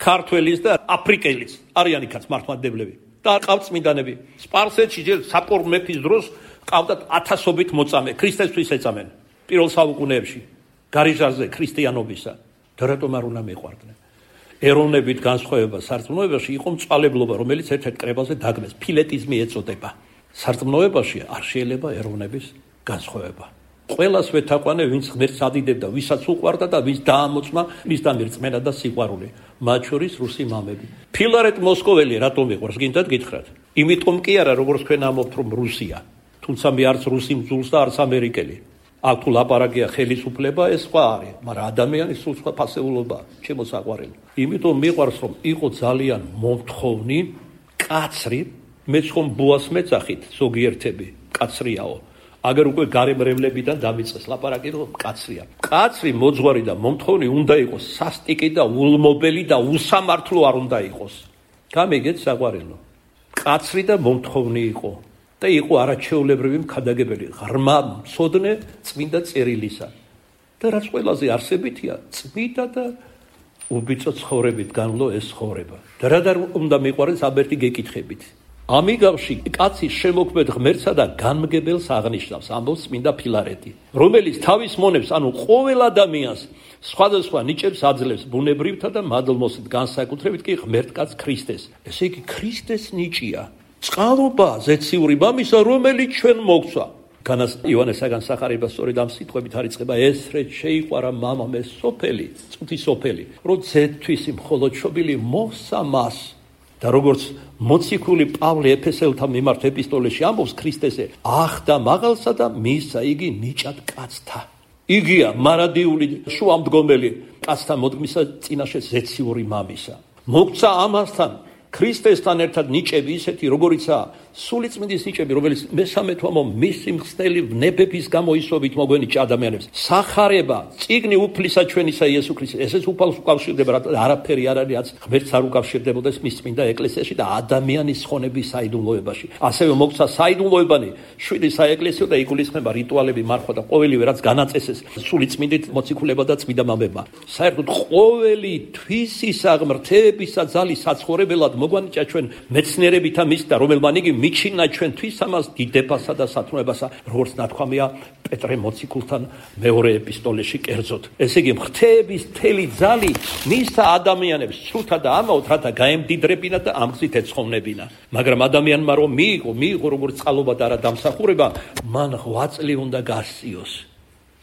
ქართველის და აფრიკელის არიანი კაც მართლმადიდებლები და ყავთ წმინდანები სპარსეთში ჯერ საპორ მეფის დროს ყავდათ ათასობით მოწამე ქრისტესთვის ეწამენ პირველ საუკუნეებში გარიჟაზე ქრისტიანობისა და რატომ არ უნდა მეყვარდნენ ეროვნებით განსხვავება სარწმუნოებაში იყო მწვალებლობა რომელიც ერთ-ერთ კრებაზე დაგმეს ფილეტიზმი ეწოდება სარწმუნოებაში არ შეიძლება ეროვნების განსხვავება ყველას ვეთაყვანე ვინც ღმერთს ადიდებდა ვისაც უყვარდა და ვის დაამოწმა მისთან რწმენა და სიყვარული მათ შორის რუსი მამები ფილარეტ მოსკოველი რატომ მიყვარს გინდათ გითხრათ იმიტომ კი არა როგორც თქვენ ამბობთ რომ რუსია თუმცა მე არც რუსი მძულს და არც ამერიკელი აქ თუ ლაპარაკია ხელისუფლება ეს სხვა არის მაგრამ ადამიანის სულ სხვა ფასეულობაა ჩემო საყვარელი იმიტომ მიყვარს რომ იყო ძალიან მომთხოვნი კაცრი მეც ხომ ბუას მეძახით ზოგიერთები კაცრიაო აგერ უკვე გარემრევლებიდან დამიწყეს ლაპარაკი რომ კაცრია კაცრი მოძღვარი და მომთხოვნი უნდა იყოს სასტიკი და ულმობელი და უსამართლო არ უნდა იყოს გამიგეთ საყვარელო კაცრი და მომთხოვნი იყო და იყო არაჩვეულებრივი მქადაგებელი ღრმა მცოდნე წმინდა წერილისა და რაც ყველაზე არსებითია წმინდა და უბიწო ცხოვრებით განვლო ეს ცხოვრება და რა უნდა მიყვარეს აბერტი გეკითხებით ამიგავში კაცის შემოქმედ ღმერთსა და განმგებელს აღნიშნავს ამბობს წმინდა ფილარეტი რომელიც თავის მონებს ანუ ყოველ ადამიანს სხვადასხვა ნიჭებს აძლევს ბუნებრივთა და მადლმოსით განსაკუთრებით კი ღმერთკაც ქრისტეს ესე იგი ქრისტეს ნიჭია წყალობა ზეციური მამისა რომელიც ჩვენ მოგცვა განას ივანესაგან სახარება სწორედ ამ სიტყვებით არიწყება ესრეთ შეიყვარა მამამ ეს სოფელი წუთი სოფელი რომ ზეთთვის მხოლოდ შობილი მოსა მას და როგორც მოციქული პავლე ეფესელთა მიმართ ეპისტოლეში ამბობს ქრისტესე ახდა მაღალსა და მისცა იგი ნიჭად კაცთა იგია მარადიული შუამდგომელი კაცთა მოდგმისა წინაშე ზეციური მამისა მოგცა ამასთან ქრისტესთან ერთად ნიჭები ისეთი როგორიცაა სულიწმინდის ნიჭები რომელიც მესამე თვამო მისი მხსნელი ნებების გამოისობით მოგვენიჭა ადამიანებს სახარება წიგნი უფლისა ჩვენისა იესო ქრისტეს ესეც უფალს უკავშირდება არაფერი არ არის რაც ღმერთს არ უკავშირდებოდეს მის წმინდა ეკლესიაში და ადამიანის ხონების საიდუმლოებაში ასევე მოგცა საიდუმლოებანი შვიდი საეკლესიო და იგულისხმება რიტუალები მარხვა და ყოველივე რაც განაწესეს სულიწმინდით მოციქულებმა და წმინდა მამებმა საერთოდ ყოველი თვისისა ღმრთებისა ძალის საცხოვრებელად მოგვანიჭა ჩვენ მეცნიერებითა მისდა რომელმან იგი მიჩინა ჩვენთვის ამას დიდებასა და სათნოებასა როგორც ნათქვამია პეტრე მოციქულთან მეორე ეპისტოლეში კერძოდ ესე იგი ღმრთების მთელი ძალი მისცა ადამიანებს სრუთა და ამაოდ რათა გაემდიდრებინა და ამგზით ეცხოვნებინა მაგრამ ადამიანმა რომ მიიღო როგორც წყალობა და არა დამსახურება მან ღვაწლი უნდა გასწიოს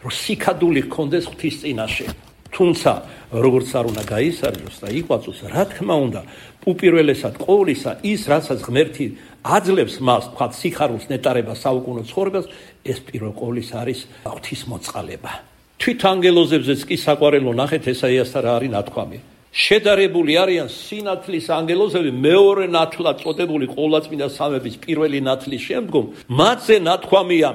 რომ სიქადული ჰქონდეს ღვთის წინაშე თუმცა როგორც არ უნდა გაისარჯოს და იყვაწოს რა თქმა უნდა უპირველესად ყოვლისა ის რასაც ღმერთი აძლევს მას თქვა სიხარულს ნეტარება საუკუნო ცხოვრებას ეს პირველ ყოვლისა არის ღვთისმოწყალება თვით ანგელოზებზეც კი საყვარელო ნახეთ ესაიასთან რა არის ნათქვამი შედარებული არიან სინათლის ანგელოზები მეორე ნათლად წოდებული ყოვლადწმინდა სამების პირველი ნათლის შემდგომ მათზე ნათქვამია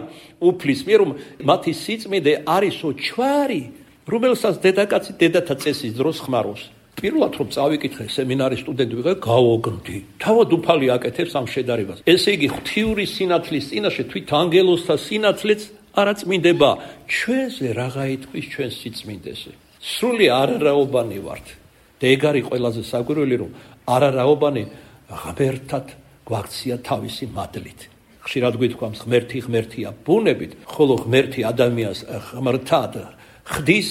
უფლის მიერ რომ მათი სიწმინდე არისო ჩვარი რომელსაც დედაკაცი დედათა წესის დროს ხმარობს პირველად რომ წავიკითხე სემინარის სტუდენტი ვიყავ, გავოგნდი. თავად უფალი აკეთებს ამ შედარებას. ესე იგი, ღვთიური სინათლის წინაშე თვით ანგელოზთა სინათლეც არა წმინდება. ჩვენზე რაღა ითქვის ჩვენ სიწმინდეზე. სრული არარაობანი ვართ. და ეგ არის ყველაზე საკვირველი, რომ არარაობანი ღმერთად გვაქცია თავისი მადლით. ხშირად გვითქვამს, ღმერთია ბუნებით, ხოლო ღმერთი ადამიანს ღმერთად ხდის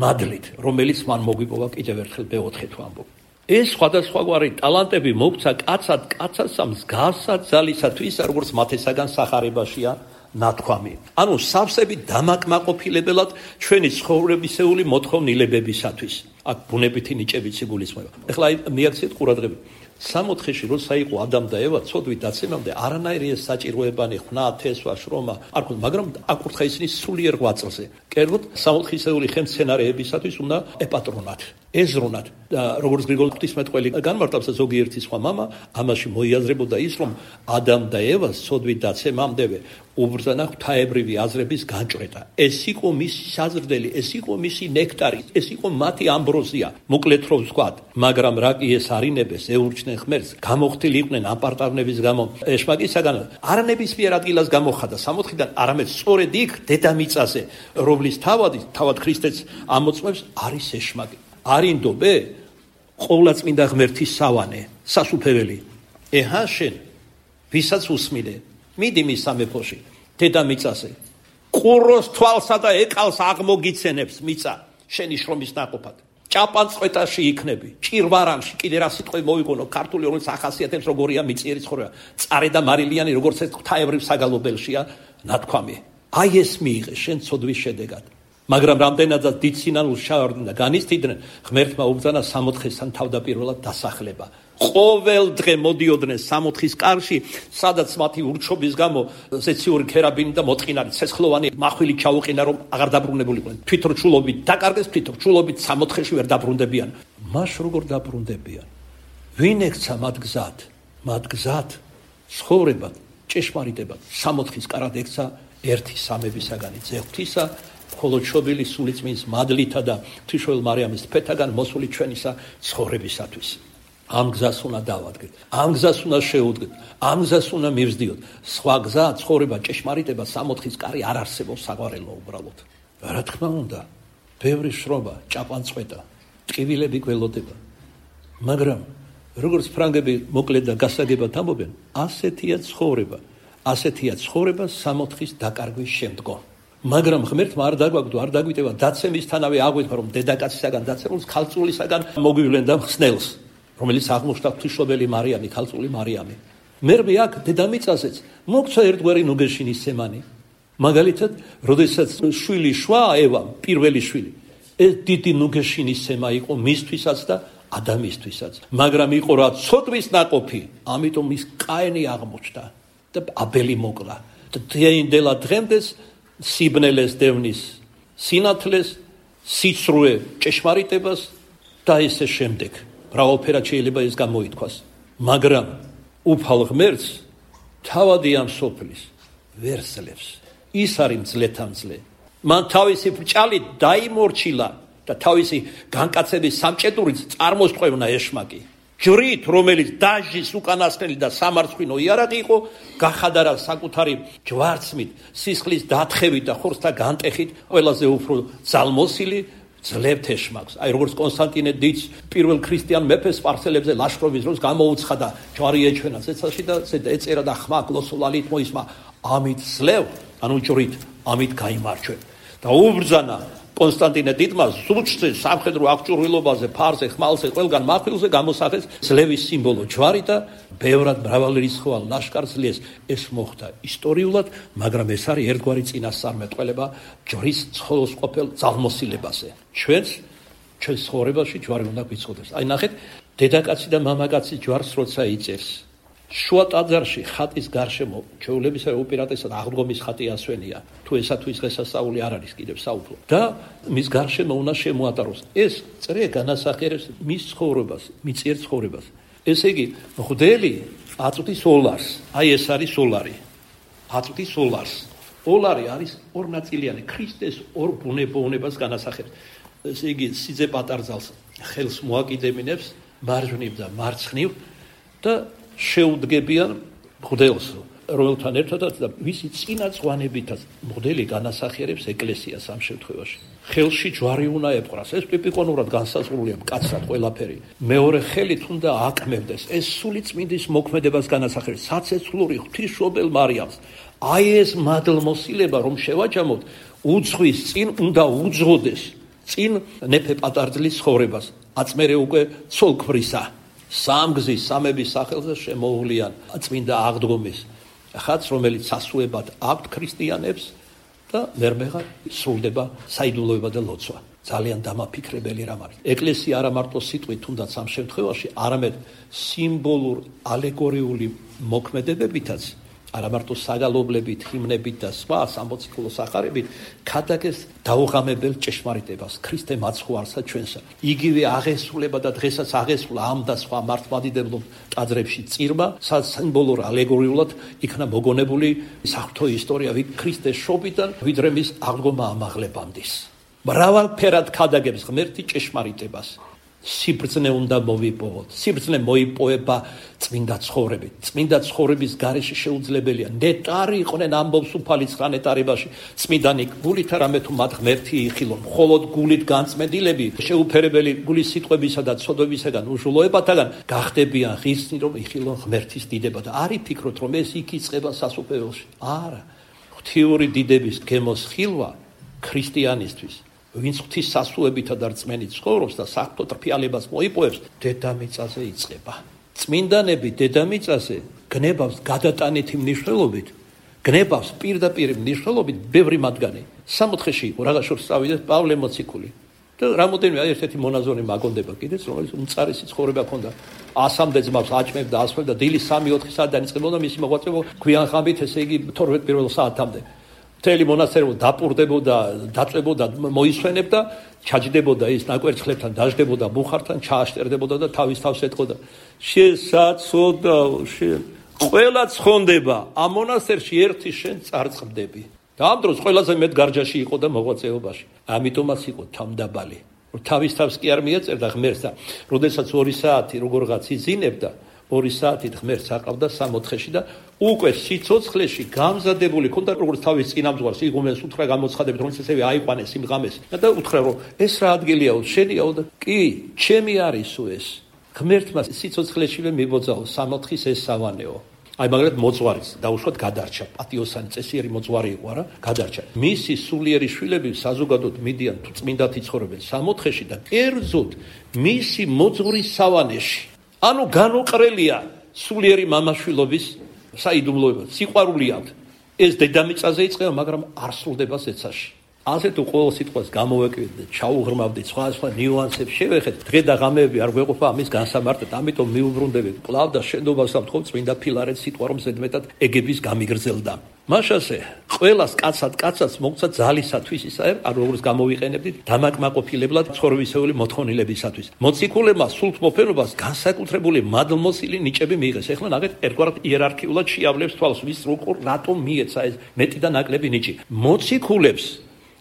მადლით, რომელიც მან მოგვიპოვა კიდევ ერთხელ მე-4 ვამბობ. ეს სხვადასხვაგვარი ტალანტები მოგცა კაცასა მსგავსად ძალისათვის, როგორც მათესაგან სახარებაშია ნათქვამი. ანუ სავსები დამაკმაყოფილებელად ჩვენი ცხოვრებისეული მოთხოვნილებებისათვის. აქ ბუნებითი ნიჭებიც იგულისხმება. ეხლა მიაქციეთ ყურადღება. 60-ში როცა იყო ადამ და ევა, ცოდვით დაცემამდე არანაირი ეს საჭიროებანი ხნა, თესვა, შრომა არ ქონდა, მაგრამ აკურთხა ისინი სულიერ ღვაწლზე. კერძოდ 60-ისეული ხელმცენარეებისათვის უნდა ეპატრონათ, ეზრონათ. და როგორც გრიგოლ ღვთისმეტყველი განმარტავს ზოგიერთი სხვა მამა, ამაში მოიაზრებოდა ის, რომ ადამ და ევას ცოდვით დაცემამდევე უბრძანა ღვთაებრივი აზრების განჭრეტა. ეს იყო მისი საზრდელი, ეს იყო მისი ნექტარი, ეს იყო მათი ამბროზია. მოკლედ რომ ვთქვათ, მაგრამ რა კი ეს არინებეს ეურჩნენ ღმერთს, გამოხდილი იყვნენ აპარტავნების გამო ეშმაკისაგან, არანებისმიერ ადგილას გამოხადა 60-დან, არამედ სწორედ იქ დედამიწაზე, რომლის თავად ქრისტეც ამოწმებს, არის ეშმაკი. არინდობე ყოვლადწმინდა ღმერთის სავანე, სასუფეველი. ეჰა შენ, ვისაც უსმინე, მიდი მის სამეფოში, დედამიწაზე. ყუროს თვალსა და ეკალს აღმოგიცენებს მიწა, შენი შრომის ნაყოფად. ჭაპანწყვეტაში იქნები, ჭირვარანში, კიდე რა სიტყვები მოიგონო, ქართული რომელიც ახასიათებს როგორია მიწიერი ცხოვრება. წარე და მარილიანი როგორც ეს ღვთაებრივ საგალობელშია ნათქვამი. აი ეს მიიღე შენ ცოდვის შედეგად. მაგრამ რამდენადაც დიდ სინანულს ჩავარდნენ და განიცდიდნენ, ღმერთმა უბრძანა 60-სთან თავდაპირველად დასახლება. ყოველ დღე მოდიოდნენ 60-ის კარში, სადაც მათი ურჩობის გამო ზეციური ქერაბინი და მოწყინარი ცეცხლოვანი მახვილი ჩაუყინა, რომ აღარ დაბრუნებულიყვნენ. თვითრჩულობით დაკარგეს, თვითრჩულობით 60-ში ვერ დაბრუნდებიან. მას როგორ დაბრუნდებიან? ვინ ექცა მათ გზად, ცხოვრებად, ჭეშმარიტებად. 60-ის კარად ექცა ერთი სამებისაგანი ძეღვთისა, ხოლო ჩობილი სულიწმინდის მადლითა და ღვთისმშობელ მარიამის თფეთაგან მოსული ჩვენისა ცხოვრებისათვის. ამ გზას უნდა დავადგეთ, ამ გზას უნდა შევუდგეთ, ამ გზას უნდა მივსდიოთ. სხვა გზა, ცხოვრება, ჭეშმარიტება 60-ის კარი არ არსებობს საყვარელო უბრალოდ. რა თქმა უნდა, ბევრი შრომა, ჭაპანწყვეტა, ტკივილები გველოდება. მაგრამ როგორც ფრანგები მოკლედ და გასაგებად ამბობენ, ასეთია ცხოვრება 60-ის დაკარგვის შემდგომ. მაგრამ ღმერთმა არ დაგვაგდო, არ დაგვიტევა დაცემისთანავე აღვიდგა, რომ დედაკაცისაგან დაცემულს ქალწულისაგან მოგვივლენდა ხსნელს, რომელიც აღმოჩნდა ღვთისმშობელი მარიამი, ქალწული მარიამი. მერმე აქ დედამიწაზეც მოგცა ერთგვარი ნუგეშინის სემანი. მაგალითად, როდესაც შვილი შვა ევა, პირველი შვილი, ეს დიდი ნუგეშინის სემა იყო მისთვისაც და ადამიანისთვისაც. მაგრამ იყო რა ცოდვის ნაყოფი, ამიტომ ის კაინი აღმოჩნდა და აბელი მოკლა. და დღეინდელა დღემდეს სიბნელეს დევნის სინათლეს, სიცრუე ჭეშმარიტებას და ესე შემდეგ. მრავალფერად შეიძლება ეს გამოითქვას. მაგრამ უფალ ღმერთს თავადი ამ სოფლის ვერ სძლევს. ის არის მძლეთა მძლე. მან თავისი ბრჭალით დაიმორჩილა და თავისი განკაცების სამჭედურით წარმოსტყვევნა ეშმაკი. ჯვრით, რომელიც დაჟის უკანასკნელი და სამარცხვინო იარაღი იყო, გახადარა საკუთარი ჯვარცმით, სისხლის დათხევით და ხორცთა განტეხით ყველაზე უფრო ძალმოსილი ძლევთ ეშმაკს. აი როგორც კონსტანტინე დიდს პირველ ქრისტიან მეფეს სპარსელებზე ლაშქრობის დროს გამოუცხადა და ჯვარი ეჩვენა ცეცხლში და ეწერა და ხმა გლოსოლალით მოისმა, ამით ძლევ, ანუ ჯვრით, ამით გაიმარჯვე. და უბრძანა კონსტანტინე დიდმა ზურჩზე, სამხედრო აღჭურვილობაზე, ფარზე, ხმალზე, ყველგან მახვილზე გამოსახეს ძლევის სიმბოლო ჯვარი და ბევრად მრავალრიცხოვან ლაშქარს ძლეს. ეს მოხდა ისტორიულად, მაგრამ ეს არის ერთგვარი წინასწარმეტყველება ჯვრის ცხოველს ყოფილ ძალმოსილებაზე. ჩვენს ცხოვრებაში ჯვარი უნდა გვიცოდეს. აი ნახეთ, დედაკაცი და მამაკაცი ჯვარს როცა იწერს, შუა ტაძარში ხატის გარშემო ჩვეულებისა უპირატესად აღდგომის ხატი ასვენია. თუ ესა თუ ის დღესასწაული არ არის კიდევ საუფლო. და მის გარშემო უნდა შემოატაროს. ეს წრე განასახიერებს მის ცხოვრებას, მიწიერ ცხოვრებას. ესე იგი, მღვდელი აწვდის ოლარს. აი ეს არის ოლარი. აწვდის ოლარს. ოლარი არის ორნაწილიანი, ქრისტეს ორ ბუნებას განასახიერებს. ესე იგი, სიძე პატარძალს ხელს მოაკიდებინებს მარჯვნივ და მარცხნივ და შეუდგებიან მღვდელს, რომელთან ერთადაც და მისი წინა წვანებითაც მღვდელი განასახიერებს ეკლესიას ამ შემთხვევაში. ხელში ჯვარი უნდა ეპყრას. ეს ტიპიკურად განსაზღვრულია მკაცრად ყველაფერი. მეორე ხელით უნდა აკმევდეს. ეს სული წმინდის მოქმედებას განასახიერებს. საცეცხლური ღვთისმშობელ მარიამს. აი ეს მადლმოსილება რომ შევაჯამოთ, უძღვის წინ უნდა უძღოდეს. წინ ნეფე პატარძლის ცხოვრებას. აწმერე უკვე ცოლქმრისა. სამგზის სამების სახელზე შემოუვლიან წმინდა აღდგომის ხატს, რომელიც სასუებად აქვთ ქრისტიანებს და მერმეღა სრულდება საიდუმლოება და ლოცვა. ძალიან დამაფიქრებელი რამ არის. ეკლესია არა მარტო სიტყვით თუნდაც ამ შემთხვევაში, არამედ სიმბოლურ ალეგორიული მოქმედებებითაც, არა მარტო საგალობლებით, ჰიმნებით და სხვა სამოციქულო სახარებით ქადაგებს დაუღამებელ ჭეშმარიტებას, ქრისტე მაცხვარსა ჩვენსა. იგივე აღესრულება და დღესაც აღესრულა ამ და სხვა მართლმადიდებლო ტაძრებში წირმა, სიმბოლურ ალეგორიულად იქნა მოგონებული საღვთო ისტორია ქრისტეს შობიდან ვიდრე მის აღდგომა ამაღლებამდის. მრავალფერად ქადაგებს ღმერთი ჭეშმარიტებას. სიბრძნე უნდა მოვიპოვოთ. სიბრძნე მოიპოვება წმინდა ცხოვრებით. წმინდა ცხოვრების გარეშე შეუძლებელია. ნეტარი იყვნენ ამბობს უფალი ცხრა ნეტარებაში. წმინდანი გულით არამე თუ მათ ღმერთი იხილონ. მხოლოდ გულით განწმენდილები შეუფერებელი გულის სიტყვებისა და ცოდვებისაგან უჟულოებათაგან გახდებიან ღირსნი რომ იხილონ ღმერთის დიდება და არ იფიქროთ რომ ეს იქ იწყება სასუფეველში. არა. ღვთიური დიდების გემოსხილვა ქრისტიანისთვის ვინც ღვთის სასუებითა და რწმენით ცხოვრობს და საღვთო ტრფიალებას მოიპოვებს, დედამიწაზე იწყება. წმინდანები დედამიწაზე გნებავს გადატანითი მნიშვნელობით, გნებავს პირდაპირ მნიშვნელობით ბევრი მათგანი. სამოთხეში იყო რაღაც შორს წავიდეს პავლე მოციქული და რამოდენიმე ერთ-ერთი მონაზონი მაგონდება კიდეც, რომელიც უმწარესი ცხოვრება ჰქონდა. 100-მდე ძმავს აჭმევდა, ასვევდა, დილის 3-4 საათი დაიწყებოდა მისი მოღვაწეობა გვიან ხამით, ესე იგი 12 პირველ საათამდე. მთელი მონასტერი დაპურდებოდა, დაწვებოდა, მოისვენებდა, ჩაჯდებოდა ის ნაკვერცხლებთან, დაждდებოდა ბუხართან, ჩააშტერდებოდა და თავის თავს ეთყოდა. შესაცოდაო, ყველა ცხონდება, ამ მონასტერში ერთი შენ წარწყდები. და ამ დროს ყველაზე მეტ გარჯაში იყო და მოღვაწეობაში. ამიტომაც იყო თამდაბალი. თავის თავს კი არ მიეწერდა ღმერთს და როდესაც 2 საათი როგორღაც იძინებდა, 2 საათით ღმერთს აყავდა სამოთხეში და უკვე სიცოცხლეში გამზადებული ქონდა როგორც თავის წინამძღვარს იღუმენს უთხრა გამოცხადებით რომელიც ესევე აიყვანეს იმ ღამეს და უთხრა რომ ეს რა ადგილიაო შენიაო და კი ჩემი არისო ეს ღმერთმა სიცოცხლეშივე მიბოძაო სამოთხის ეს სავანეო აი მაგალითად მოძღვარის დაუშვათ გადარჩა პატიოსანი წესიერი მოძღვარი იყო არა გადარჩა მისი სულიერი შვილები საზოგადოდ მიდიან თუ წმინდად იცხოვრებენ სამოთხეში და კერძოდ მისი მოძღვრის სავანეში ანუ განუყრელია სულიერი მამაშვილობის საიდუმლოება, სიყვარული აქვს. ეს დედამიწაზე იწყება, მაგრამ არ სრულდება ზეცაში. ასე თუ ყოველ სიტყვას გამოვეკიდეთ და ჩაუღრმავდით სხვა ნიუანსებს შევეხეთ, დღე და ღამეები არ გვეყოფა ამის განსამარტად, ამიტომ მიუბრუნდებით კვლავ და შენდობას ვთხოვთ წმინდა ფილარეტ სიტყვა რომ ზედმეტად ეგების გამიგრძელდა. მაშასე ყველას კაცად მოგცა ძალისათვის ისე არ როგორც გამოვიყენებდით დამაკმაყოფილებლად ცხოვრებისეული მოთხოვნილებისათვის. მოციქულებმა სულთმოფენობას განსაკუთრებული მადლმოსილი ნიჭები მიიღეს. ეხლა ნახეთ ერთგვარად იერარქიულად შეავლებს თვალს ვის როგორ რატომ მიეცა ეს მეტი და ნაკლები ნიჭი. მოციქულებს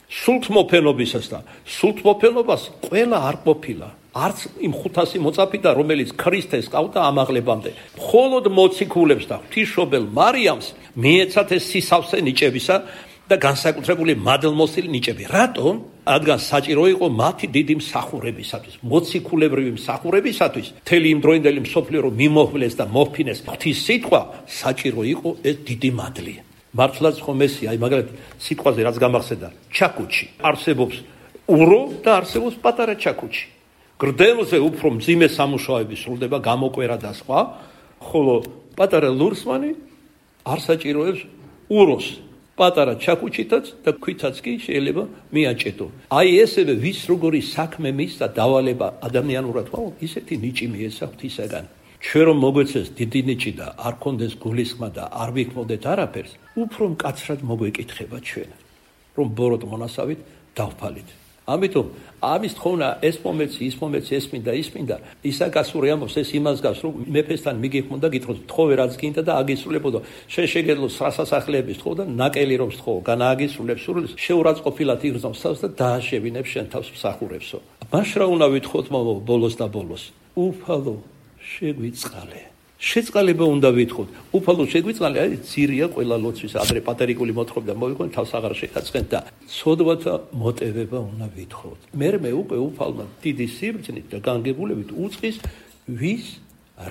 სულთმოფენობისას და სულთმოფენობას ყველა არ ყოფილა. არც იმ 500 მოწაფიდან რომელიც ქრისტეს ყავდა ამაღლებამდე. მხოლოდ მოციქულებს და ღვთისმშობელ მარიამს მიეცათ ეს სისავსე ნიჭებისა და განსაკუთრებული მადლმოსილი ნიჭები. რატომ? რადგან საჭირო იყო მათი დიდი მსახურებისათვის, მოციქულებრივი მსახურებისათვის, მთელი იმ დროინდელი მსოფლიო რომ მიმოხვლეს და მოფინეს ღვთის სიტყვა, საჭირო იყო ეს დიდი მადლი. მართლაც ხომ ესია, აი მაგალითად სიტყვაზე რაც გამახსენდა, ჩაკუჩი. არსებობს ურო და არსებობს პატარა ჩაკუჩი. გრდელზე უფრო მძიმე სამუშაოები სრულდება, გამოკვერა და სხვა, ხოლო პატარა ლურსმანი არ საჭიროებს უროს. პატარა ჩაკუჩითაც და ქვითაც კი შეიძლება მიაჭედო. აი ესევე ვის როგორი საქმე მისცა დავალება ადამიანურად ხო, ისეთი ნიჭი მიეცა ღვთისაგან. ჩვენ რომ მოგვეცეს დიდი ნიჭი და არ კონდეს გულისხმა და არ ვიქმოდეთ არაფერს, უფრო მკაცრად მოგვეკითხება ჩვენ, რომ ბოროტ მონასავით დავფალით. ამიტომ ამის თხოვნა ეს მომეცი, ის მომეცი, ეს მინდა, ის მინდა, ისაკასური ამბობს ეს იმას გავს, რომ მეფესთან მიგიხმოდა, გითხოვს, თხოვე რაც გინდა და აგისრულებოდო. შენ შეგეძლო სასახლეების თხოვ და ნაკელი რომ თხოვ, განააგისრულებს სურვილს, შეურაცხყოფილად იგრძნობს თავს და დააშევინებს შენ თავს მსახურებსო. მაშ რა უნდა ვითხოვთ მამა ბოლოს და ბოლოს უფალო შეგვიწყალე შეწყალება უნდა ვითხოვთ უფალო შეგვიწყალე აი ძირია ყველა ლოცვის ადრე პატერიკული მოთხრობდა მოიყვნენ თავს აღარ შეგაწყენთ და სოდვათა მოტივება უნდა ვითხოვთ მე უკვე უფალმა დიდი სიბრძნით და განგებულებით უწყის ვის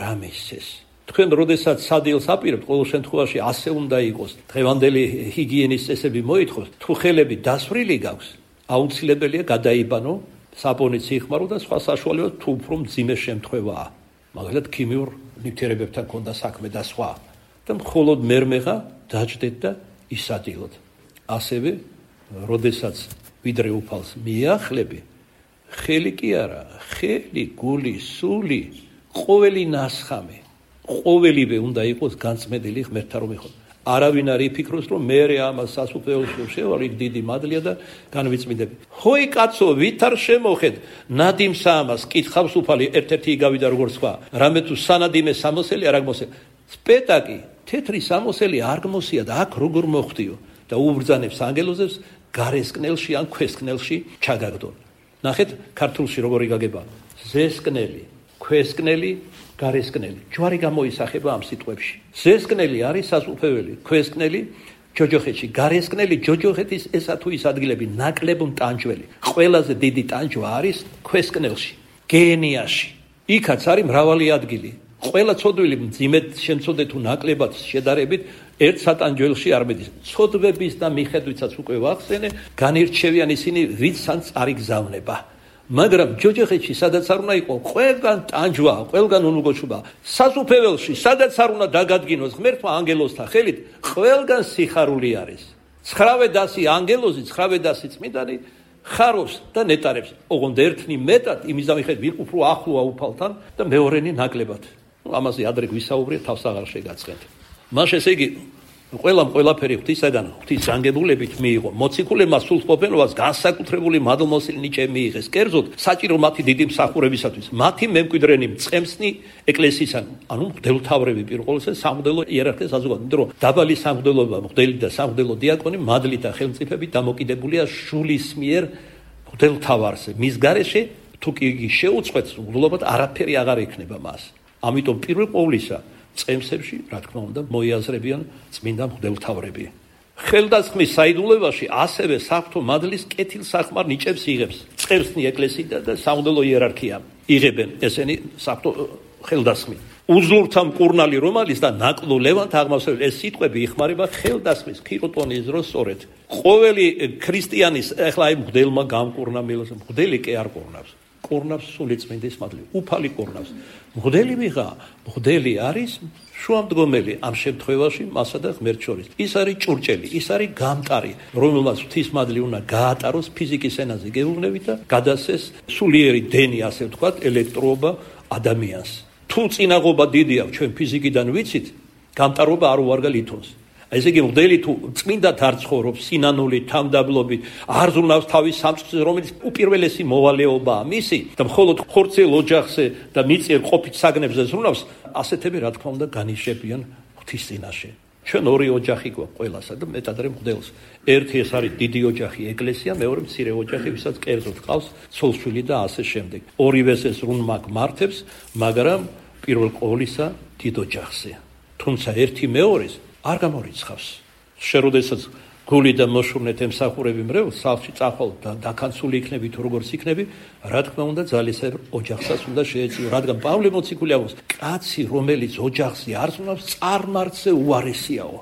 რამესეს თქვენ როდესაც სადილს აპირებთ ყოველ შემთხვევაში ასე უნდა იყოს დღევანდელი ჰიგიენის წესები მოითხოვს თუ ხელები დასვრილი გაქვს აუცილებელია გადაიბანო საპონით სიხმარო და სხვა საშუალება თუ უფრო მძიმე შემთხვევაა მაგალითად ქიმიურ ნივთიერებებთან ქონდა საქმე და სხვა და მხოლოდ მერმეღა დაждეთ და ისადილოთ ასევე როდესაც ვიდრე უფალს მიახლები ხელი კი არა ხელი გული სული ყოველი ნასხამი ყოველივე უნდა იყოს განწმენდილი ღმერთთან რომ იყო არავინ არ იფიქროს რომ მე ამას სასუფეველში შევალ იქ დიდი მადლია და განვიწმინდები ჰოი კაცო ვით არ შემოხედ ნადიმსა ამას კითხავს უფალი ერთ-ერთი იგავიდა როგორც სხვა რამე თუ სანადიმე სამოსელი არ აღმოსე სპეტაკი თეთრი სამოსელი არ გმოსია და აქ როგორ მოხდიო და უბრძანებს ანგელოზებს გარესკნელში ან ქვესკნელში ჩაგაგდონ ნახეთ ქართულში როგორი გაგება ზესკნელი ქვესკნელი გარესკნელი ჯვარი გამოისახება ამ სიტყვებში ზესკნელი არის სასუფეველი ქვესკნელი ჯოჯოხეთში გარესკნელი ჯოჯოხეთის ესა თუ ის ადგილები ნაკლებ ტანჯველი ყველაზე დიდი ტანჯვა არის ქვესკნელში გენიაში იქაც არის მრავალი ადგილი ყველა ცოდვილი მძიმედ შემცოდე თუ ნაკლებად შედარებით ერთ სატანჯველში არ მედის ცოდვების და მიხედვითაც უკვე ვახსენე განირჩევიან ისინი ვიცაც არ იგზავნება მაგრამ ჯოჯოხეთში სადაც არ უნდა იყო ყველგან ტანჯვა ყველგან უნუგოჩუბა სასუფეველში სადაც არ უნდა დაგადგინოს ღმერთმა ანგელოზთა ხელით ყველგან სიხარული არის 900 ანგელოზი 900 წმინდანი ხარობს და ნეტარებს ოღონდ ერთნი მეტად იმის ამიხედ ვინ უფრო ახლოა უფალთან და მეორენი ნაკლებად ამაზე ადრე გვისაუბრეთ თავს აღარ შეგაცხენთ მას ესე იგი ყველაფერი ღვთისაგან ღვთის განგებულებით მიიღო მოციქულებმა სულთყოფენობას განსაკუთრებული მადლმოსილი ნიჭე მიიღეს კერძოდ საჭირო მათი დიდი მსახურებისათვის მათი მემკვიდრენი მწყემსნი ეკლესიისგან ანუ მღვდელმთავრები პირველ ყოვლისა სამღვდელო იერარქია საზოგადოება იმიტომ რომ დაბალი სამღვდელობა მღვდელი და სამღვდელო დიაკონი მადლით და ხელმწიფებით დამოკიდებულია შულის მიერ მღვდელმთავარზე მის გარეშე თუ კი იგი შეუწყვეტს მღვდლობად არაფერი აღარ ექნება მას ამიტომ პირველ ყოვლისა წემსებში, რა თქმა უნდა, მოიაზრებიან წმინდა მღვდელმთავრები. ხელდასხმის საიდუმლოებაში ასევე საღვთო მადლის კეთილსახმარ ნიჭებს იღებს. წერსნი ეკლესია და სამღვდელო იერარქია იღებენ ესენი საღვთო ხელდასხმი. უძლურთა მკურნალი რომალის და ნაკლო ლევანთ აღმოსავლეთ ეს სიტყვები იხმარება ხელდასხმის ქიროტონის დროს სწორედ. ყოველი ქრისტიანის ახლა აი მღვდელმა გამკურნა მილოს მღვდელი კი არ კურნავს. კურნავს სული წმინდის მადლი. უფალი კურნავს. მღვდელი ვიღა, მღვდელი არის შუამდგომელი ამ შემთხვევაში მასა და ღმერთ შორის. ის არის ჭურჭელი, ის არის გამტარი, რომელმაც ღვთის მადლი უნდა გაატაროს ფიზიკის ენაზე გეუბნებით და გადასცეს სულიერი დენი, ასე ვთქვათ, ელექტროობა ადამიანს. თუ წინაღობა დიდია ჩვენ ფიზიკიდან ვიცით, გამტარობა არ უარგა ლითონს. ესე იგი მღვდელი თუ წმინდად არ ცხოვრობს სინანული თამდაბლობით არ ზრუნავს თავის სამწყსზე რომელიც უპირველესი მოვალეობაა მისი და მხოლოდ ხორცელ ოჯახზე და მიწიერ ყოფით საგნებზე ზრუნავს ასეთები რა თქმა უნდა განიშებიან ღვთის წინაშე ჩვენ ორი ოჯახი გვაქვს ყველასა და მეტადრე მღვდელს ერთი ეს არის დიდი ოჯახი ეკლესია მეორე მცირე ოჯახი ვისაც კერძოდ ყავს ცოლ-შვილი და ასე შემდეგ ორივეს ეს ზრუნვა გმართებს მაგრამ პირველ ყოვლისა დიდ ოჯახზე თუმცა ერთი მეორეს არ გამორიცხავს. შეროდესაც გული და მოშურნეთ ემსახურები მრევლს, სახლში წახვალ და დაქანცული იქნები თუ როგორც იქნები, რა თქმა უნდა ძალისებრ ოჯახსაც უნდა შეეწიო, რადგან პავლე მოციქული ამბობს, კაცი რომელიც ოჯახზე არ ზრუნავს, წარმართზე უარესიაო.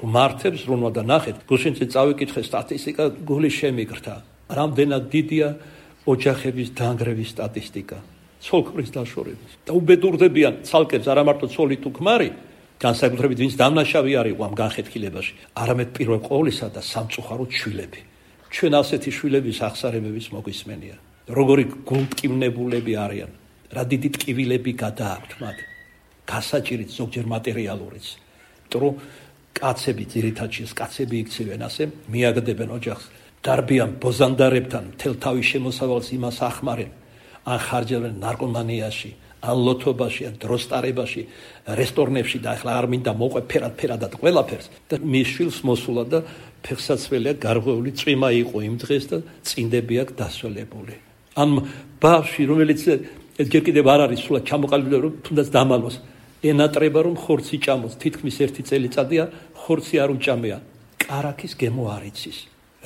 გმართებს ზრუნვა და ნახეთ, გუშინზე წავიკითხე სტატისტიკა, გული შემიგრთა. რამდენად დიდია ოჯახების დანგრევის სტატისტიკა, ცოლ-ქმრის დაშორების. და უბედურდებიან ცალკებს არა მარტო ცოლი თუ ქმარი, განსაკუთრებით ვინც დამნაშავე არ იყო ამ განხეთქილებაში, არამედ პირველ ყოვლისა და სამწუხაროდ შვილები. ჩვენ ასეთი შვილების აღსარებების მოგვისმენია. როგორი გულტკივნებულები არიან, რა დიდი ტკივილები გადააქვთ მათ. გასაჭირით ზოგჯერ მატერიალურიც. იმიტომ რომ კაცები ძირითადში კაცები იქცევენ ასე, მიაგდებენ ოჯახს, დარბიან ბოზანდარებთან, მთელ თავის შემოსავალს იმას ახმარენ, ან ხარჯავენ ნარკომანიაში. ან ლოთობაში, ან დროსტარებაში, რესტორნებში და ახლა არ მინდა მოყვე ფერადად ყველაფერს და მის შვილს მოსულა და ფეხსაცველია გარღვეული წვიმა იყო იმ დღეს და წინდები აქვს დასველებული. ან ბავშვი რომელიც ჯერ კიდევ არ არის სულად ჩამოყალიბებული რომ თუნდაც დამალოს ენატრება რომ ხორცი ჭამოს თითქმის 1 წელიწადია ხორცი არ უჭამია კარაქის გემო არ იცის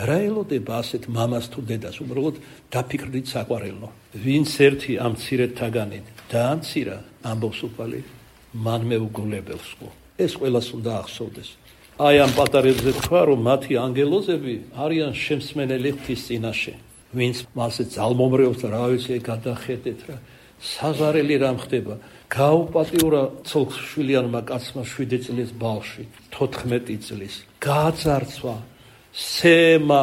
რა ელოდება ასეთ მამას თუ დედას უბრალოდ დაფიქრდით საყვარელო ვინც ერთი ამ მცირედთაგანი დაანცირა ამბობს უფალი მან მეუგულებელს ეს ყველას უნდა ახსოვდეს აი ამ პატარებზე თქვა რომ მათი ანგელოზები არიან შემსმენელი ღვთის წინაშე ვინც მასე ძალმომრეობს და რა ვიცი გადახედეთ რა საღარელი რამ ხდება გაუპატიურა ცოლ-შვილიანმა კაცმა 7 წლის ბავშვი 14 წლის გააძარცვა სემა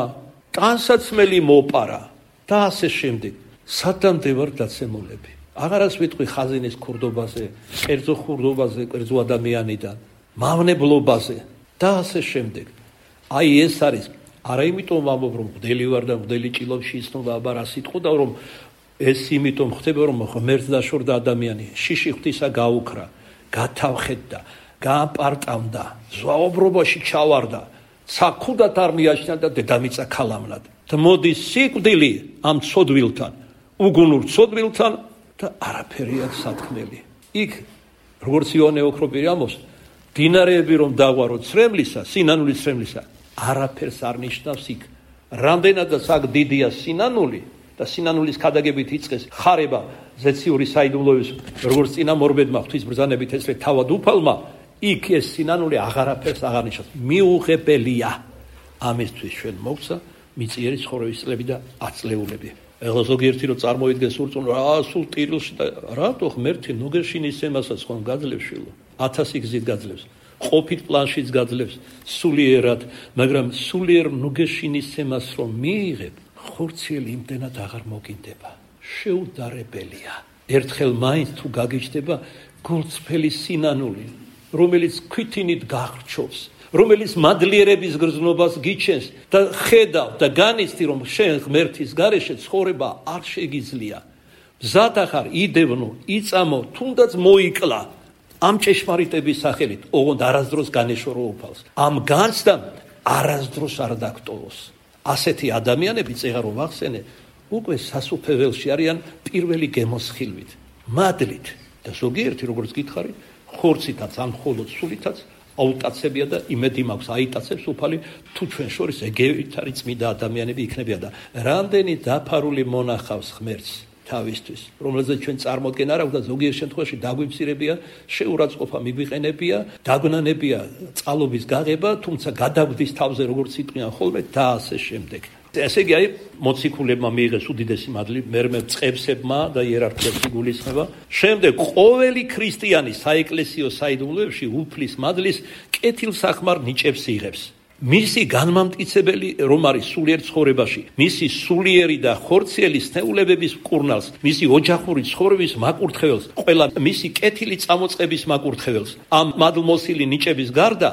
ტანსაცმელი მოპარა და ასე შემდეგ სადამდე ვარ დაცემულები აღარას ვიტყვი ხაზინის ქურდობაზე კერძო ხურდობაზე კერძო ადამიანიდან მავნებლობაზე და ასე შემდეგ აი ეს არის არა იმიტომ ვამბობ რომ მღვდელი ვარ და მღვდელი ჭილობში ისნობა აბა რა სიტყვა და რომ ეს იმიტომ ხდება რომ ღმერთს დაშორდა ადამიანი შიში ღვთისა გაუქრა გათავხედდა გააპარტავდა ზვაობრობაში ჩავარდა ცაკუდად არ მიაჩნდა და დედამიწა ქალამნად და მოდის სიკვდილი ამ ცოდვილთან უგუნურ ცოდვილთან და არაფერი აქვს სათქმელი იქ როგორც იოანე ოქროპირი ამბობს დინარეები რომ დაღვარო ცრემლისა სინანულის ცრემლისა არაფერს არ ნიშნავს იქ რამდენადაც აქ დიდია სინანული და სინანულის ქადაგებით იწყეს ხარება ზეციური საიდუმლოების როგორც წინა მორბედმა ღვთის ბრძანებით ესრე თავად უფალმა იქ ეს სინანული აღარაფერს აღარ ნიშნავს მიუღებელია ამისთვის ჩვენ მოგცა მიწიერი ცხოვრების წლები და აწლეულები ეხლა ზოგიერთი რომ წარმოიდგეს ურწმუნო რა სულ ტირილში და რატო ღმერთი ნუგეშინის ემასაც ხომ გაძლევს შილო 1000 გზით გაძლევს ყოფით პლანშიც გაძლევს სულიერად მაგრამ სულიერ ნუგეშინის ემას რომ მიიღებ ხორციელი იმდენად აღარ მოგინდება შეუდარებელია ერთხელ მაინც თუ გაგიჩნდება გულწრფელი სინანული რომელიც ქვითინით გახრჩობს რომელიც მადლიერების გრძნობას გიჩენს და ხედავ და განიცდი რომ შენ ღმერთის გარეშე ცხოვრება არ შეგიძლია მზად ახარ იდევნო იწამო თუნდაც მოიკლა ამ ჭეშმარიტების სახელით ოღონდ არასდროს განეშორო უფალს ამ განცდამ არასდროს არ დაგტოვოს ასეთი ადამიანები წეღა რომ ახსენე უკვე სასუფეველში არიან პირველი გემოსხილვით მადლით და ზოგიერთი როგორც გითხარი ხორცითაც ან მხოლოდ სულითაც აუტაცებია და იმედი მაქვს აიტაცებს უფალი თუ ჩვენ შორის ეგევით არის წმინდა ადამიანები იქნებიან და რამდენი დაფარული მონახავს ღმერთს თავისთვის რომელზეც ჩვენ წარმოდგენა არ აქვს და ზოგიერთ შემთხვევაში დაგვიმცირებია შეურაცხყოფა მიგვიყენებია დაგვნანებია წყალობის გაღება თუმცა გადაგვდის თავზე როგორც იტყვიან ხოლმე და ასე შემდეგ ესე იგი აი მოციქულებმა მიიღეს უდიდესი მადლი მერმე წყებსებმა და იერარქიებს იგულისხმება შემდეგ ყოველი ქრისტიანი საეკლესიო საიდუმლოებში უფლის მადლის კეთილსახმარ ნიჭებს იღებს მისი განმამტკიცებელი რომ არის სულიერ ცხოვრებაში მისი სულიერი და ხორციელი სნეულებების მკურნალს მისი ოჯახური ცხოვრების მაკურთხეველს ყველა მისი კეთილი წამოწყების მაკურთხეველს ამ მადლმოსილი ნიჭების გარდა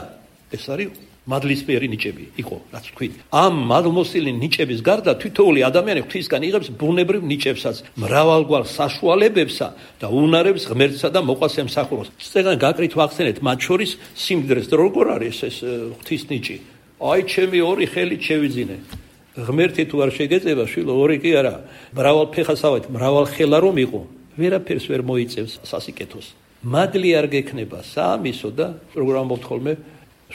ეს არის მადლისფერი ნიჭები იყო რაც ვთქვით ამ მადლმოსილი ნიჭების გარდა თითოეული ადამიანი ღვთისგან იღებს ბუნებრივ ნიჭებსაც მრავალგვარ საშუალებებსა და უნარებს ღმერთსა და მოყვას ემსახუროს წეგან გაკრით ვახსენეთ მათ შორის სიმდიდრეს როგორ არის ეს ღვთის ნიჭი აი ჩემი ორი ხელი შევიძინე ღმერთი თუ არ შეგეწება შვილო ორი კი არა მრავალ ფეხასავით მრავალ ხელა რომ იყო ვერაფერს ვერ მოიწევს სასიკეთოს მადლი არ გექნება საამისო და როგორ ამბობთ ხოლმე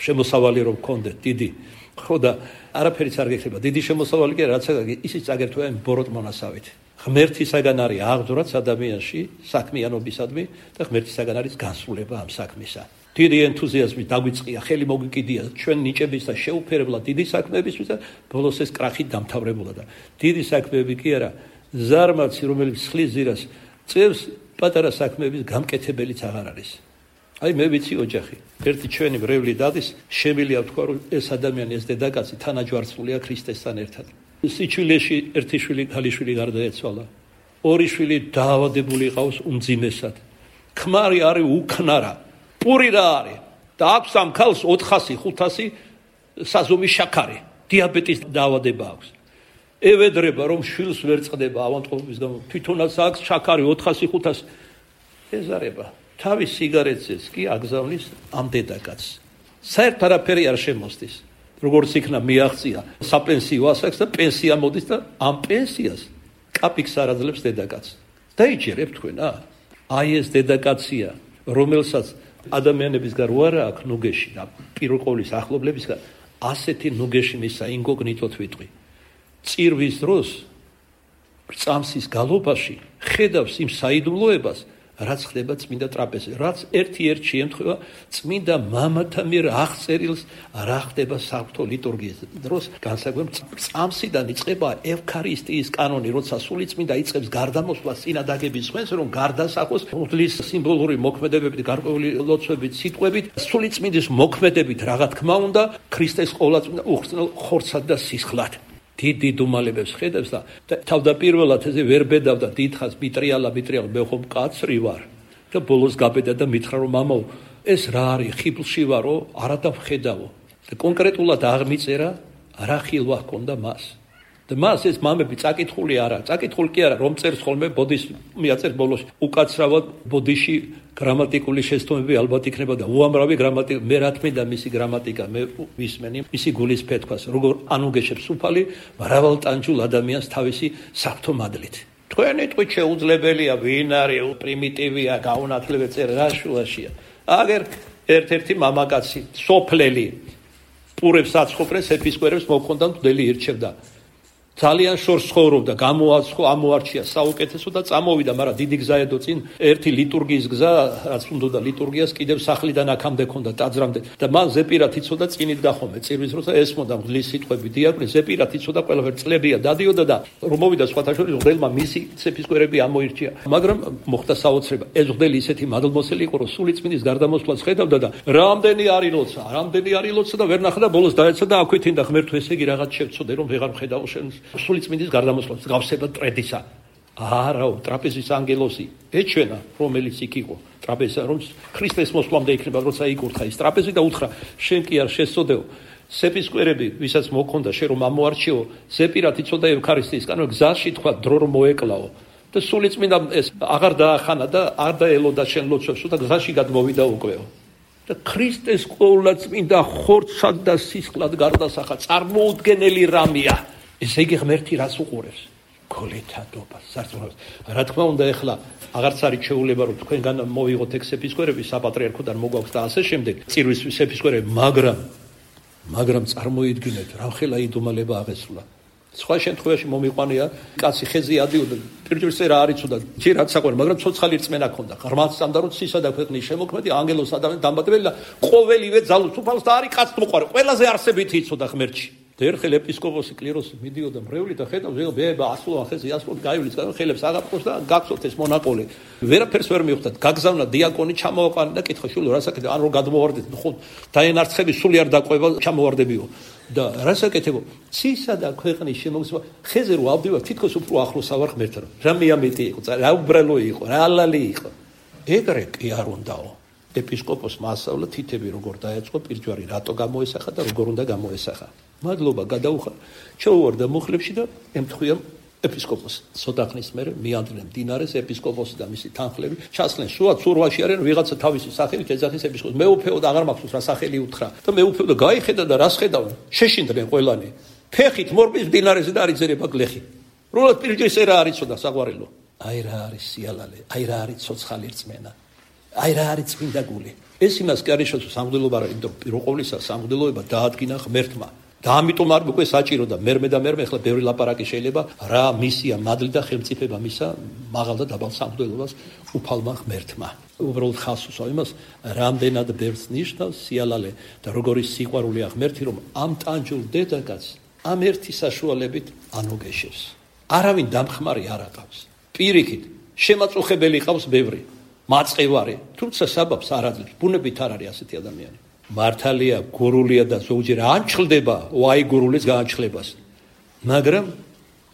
შემოსავალი რომ გქონდეთ დიდი ხო და არაფერიც არ გექნება დიდი შემოსავალი კი რაც ისიც აგერთვა იმ ბოროტ მონასავით ღმერთისაგან არის აღძვრაც ადამიანში საქმიანობისადმი და ღმერთისაგან არის განსრულება ამ საქმისა დიდი ენთუზიაზმი დაგვიწყია ხელი მოგვიკიდია ჩვენ ნიჭების და შეუფერებლად დიდი საქმეებისთვის და ბოლოს ეს კრახით დამთავრებულა და დიდი საქმეები კი არა ზარმაცი რომელიც ხლის ზირას წევს პატარა საქმეების გამკეთებელიც აღარ არის აი მე ვიცი ოჯახი ერთი ჩვენი მრევლი დადის შემილია თქვა რომ ეს ადამიანი ეს დედაკაცი თანაჯვარცმულია ქრისტესთან ერთად სიჩვილეში ერთი შვილი ქალიშვილი გარდაეცვალა ორი შვილი დაავადებული ყავს უმძიმესად ქმარი არის უკნარა პური რა არის და აქვს ამ ქალს 400-500 საზომი შაქარი დიაბეტის დაავადება აქვს ევედრება რომ შვილს ვერ წყდება ავანტყოფის გამო თვითონაც აქვს შაქარი 400-500 ეზარება თავის სიგარეტზეც კი აგზავნის ამ დედაკაცს. საერთოდ არაფერი არ შემოსდის. როგორც იქნა მიაღწია საპენსიო ასაკს და პენსია მოდის და ამ პენსიას კაპიქს არ აძლევს დედაკაცს. დაიჯერებ თქვენ, აი ეს დედაკაცია, რომელსაც ადამიანებისგან რო არა აქვს ნუგეში და პირველ ყოვლის ახლობლებისგან ასეთი ნუგეში მისა ინკოგნიტოთ ვიტყვი. წირვის დროს წამსის გალობაში ხედავს იმ საიდუმლოებას, რაც ხდება წმინდა ტრაპეზზე, რაც ერთ შემთხვევა წმინდა მამათა მიერ აღწერილს რა ხდება საღვთო ლიტურგიის დროს, განსაკუთრებით წამსიდან იწყება ევქარისტიის კანონი, როცა სულიწმინდა იწყებს გარდამოსვლას წინადაგების სხვენს, რომ გარდასახოს ღვთლის სიმბოლური მოქმედებებით, გარკვეული ლოცვებით, სიტყვებით, სულიწმინდის მოქმედებით, რა თქმა უნდა, ქრისტეს ყოვლადწმინდა უხრწნელ ხორცად და სისხლად. დიდი დუმალებებს ხედავს და თავდაპირველად ესე ვერ ბედავდა დიდხანს მიტრიალა მე ხომ კაცრი ვარ და ბოლოს გაბედა და მითხრა რომ მამაო ეს რა არის ხიბლში ვარო არა დავხედავო და კონკრეტულად აღმიწერა რა ხილვა ჰქონდა მას და მას ეს მამები წაკითხული არა წაკითხული კი არა რომ წერს ხოლმე ბოდის მიაწერს ბოლოს უკაცრავად ბოდიში გრამატიკული შესტომები ალბათ იქნება და უამრავი გრამატიკა მე რა თქმა უნდა მისი გრამატიკა მე ვისმენი მისი გულის ფეთქას როგორ ანუგეშებს უფალი მრავალტანჯულ ადამიანს თავისი საფრთხო მადლით თქვენი თვით შეუძლებელია ვინ არის პრიმიტივია გაუნათლებელი წერ რა შუაშია აგერ ერთ-ერთი მამაკაცი სოფლელი პურებს აცხოვრეს ეპისკოპოსს მოქონდა მდელი ირჩევდა ძალიან შორს ცხოვრობდა, ამოარჩია საუკეთესო და წამოვიდა, მაგრამ დიდი გზა ედო წინ ერთი ლიტურგიის გზა, რაც უნდა ლიტურგიას კიდევ სახლიდან აქამდე ქონდა ტაძრამდე და მან ზეპირად იცოდა წინით გახომე, წირვის როცა ესმოდა მღვდლის სიტყვები დიაკვნე, ზეპირად იცოდა ყველაფერი წლებია დადიოდა და რომ მოვიდა სხვათა შორის მღვდელმა მისი ეპისკოპოსები ამოირჩია, მაგრამ მოხდა საოცრება. ეს მღვდელი ისეთი მადლმოსილი იყო, რომ სულიწმინდის გარდამოსვლას ხედავდა და რამდენი არის ლოცა და ვერ ნახდა ბოლოს დაეცა და აქვეითინდა ღმერთო ესე იგი რაღაც შევწოდე რომ ვეღარ მხედავ შენს სულიწმინდის გარდამოსვლას გავსება ტრედისა. არაო, ტრაპეზის ანგელოსი ეჩვენა, რომელიც იქ იყო. ტრაპეზა რომ ქრისტეს მოსვლამდე იქნება, როცა იკურთხა ის ტრაპეზი და უთხრა, შენ კი არ შესწოდეო. ეპისკოპოსები, ვისაც მოქონდა შენ რომ ამოარჩიო, ზეპირად იცოდა ევქარისტიის კანონი, გზაში თქვა დრო რომ მოეკლაო. და სულიწმინდა ეს აღარ დაახანა და არ დაელოდა შენ ლოცვებს, და გზაში გადმოვიდა უკვეო. და ქრისტეს ყოვლადწმინდა ხორცად და სისხლად გარდასახა, წარმოუდგენელი რამეა. ესე იგი ღმერთი რას უყურებს? გოლეთადობას, სარწმუნოებას. რა თქმა უნდა, ეხლა აღარც არის შეუძლება რომ თქვენგან მოვიღოთ ეპისკოპოსები საპატრიარქოდან მოგვაქვს და ასე შემდეგ. წირვის ეპისკოპოსები, მაგრამ წარმოიდგინეთ, რამხელა იდუმალება აღესრულა. სხვა შემთხვევაში მომიყვანია, კაცი ხეზე ადიოდა, პირდაპირ რა არ იცოდა, ჯერ რაც საყვარელი, მაგრამ ცოცხალი რწმენა ჰქონდა. ღრმად სწამდა რომ ცისა და ქვეყნის შემოქმედი, ანგელოს ადამიანი დამბადებელი და ყოველივე ძალუც უფალს და არის კაც მოყარე. ყველაზე არსებითი იცოდა ღმერთში. და ერთხელ ეპისკოპოსი კლიროსი მიდიოდა მრევლი და ხედავს ვეღა ასულან ხეზე ასულად გაივლის ხელებს აღაფროს და გაგწოთ ეს მონაყოლი ვერაფერს ვერ მიხვდათ გაგზავნა დიაკონი ჩამოაყანა და კითხა შულო რა საკეთებ ან რომ გადმოვარდეთ ხო დაენარცხები სული არ დაყვება ჩამოვარდებიო და რა საკეთებო ცისა და ქვეყნის შემოგზვა ხეზე რო ავდივარ თითქოს უფრო ახლოს ავარ ღმერთთან რა მეამეტი იყო რა უბრალო იყო რა ალალი იყო ეგრე კი არ უნდაო ეპისკოპოსმა ასწავლა თითები როგორ დაეწყო პირჯვარი რატო გამოესახა და როგორ უნდა გამოესახა მადლობა გადაუხა ჩაუვარდა მუხლებში და ემთხვია ეპისკოპოსს ცოტა ხნის მერე მიანდრნენ მდინარეს ეპისკოპოსი და მისი თანხლები ჩასხდნენ სურვაში არიან ვიღაცა თავისი სახელით ეძახის ეპისკოპოსს მეუფეო და აღარ მახსოვს რა სახელი უთხრა და მეუფეო და გაიხედა და რას ხედავენ შეშინდნენ ყველანი ფეხით მორბის მდინარეზე და არიძერება გლეხი რულად პირჯვრის რა არიცოდა საყვარელო აი რა არის სიალალე აი რა არის ცოცხალი რწმენა აი რა არის წმინდა გული ეს იმას კი არის შესაძლოა სამღვდელობა რა იმიტომ პირველ ყოვლისა სამღვდელოება დაადგინა ღმერთმა და ამიტომ არ უკვე საჭირო და მერმე ახლა ბევრი ლაპარაკი შეიძლება რა მისია მადლი და ხელმწიფება მისა მაღალ და დაბალ სამღვდელობას უფალმა ღმერთმა უბრალოდ ხალხს უსვამს იმას რამდენად ბევრს ნიშნავს სიალალე და როგორი სიყვარულია ღმერთი რომ ამ ტანჯულ დედაკაცს ამ ერთი საშუალებით ანუგეშებს არავინ დამხმარი არ აკავს პირიქით შემაწუხებელი ყავს ბევრი მაწყევარი თუმცა საბაბს არ აძლევს ბუნებით არ არის ასეთი ადამიანი მართალია გურულია და ზოგჯერ ანჩლდება ვაი გურულის გაანჩლებას მაგრამ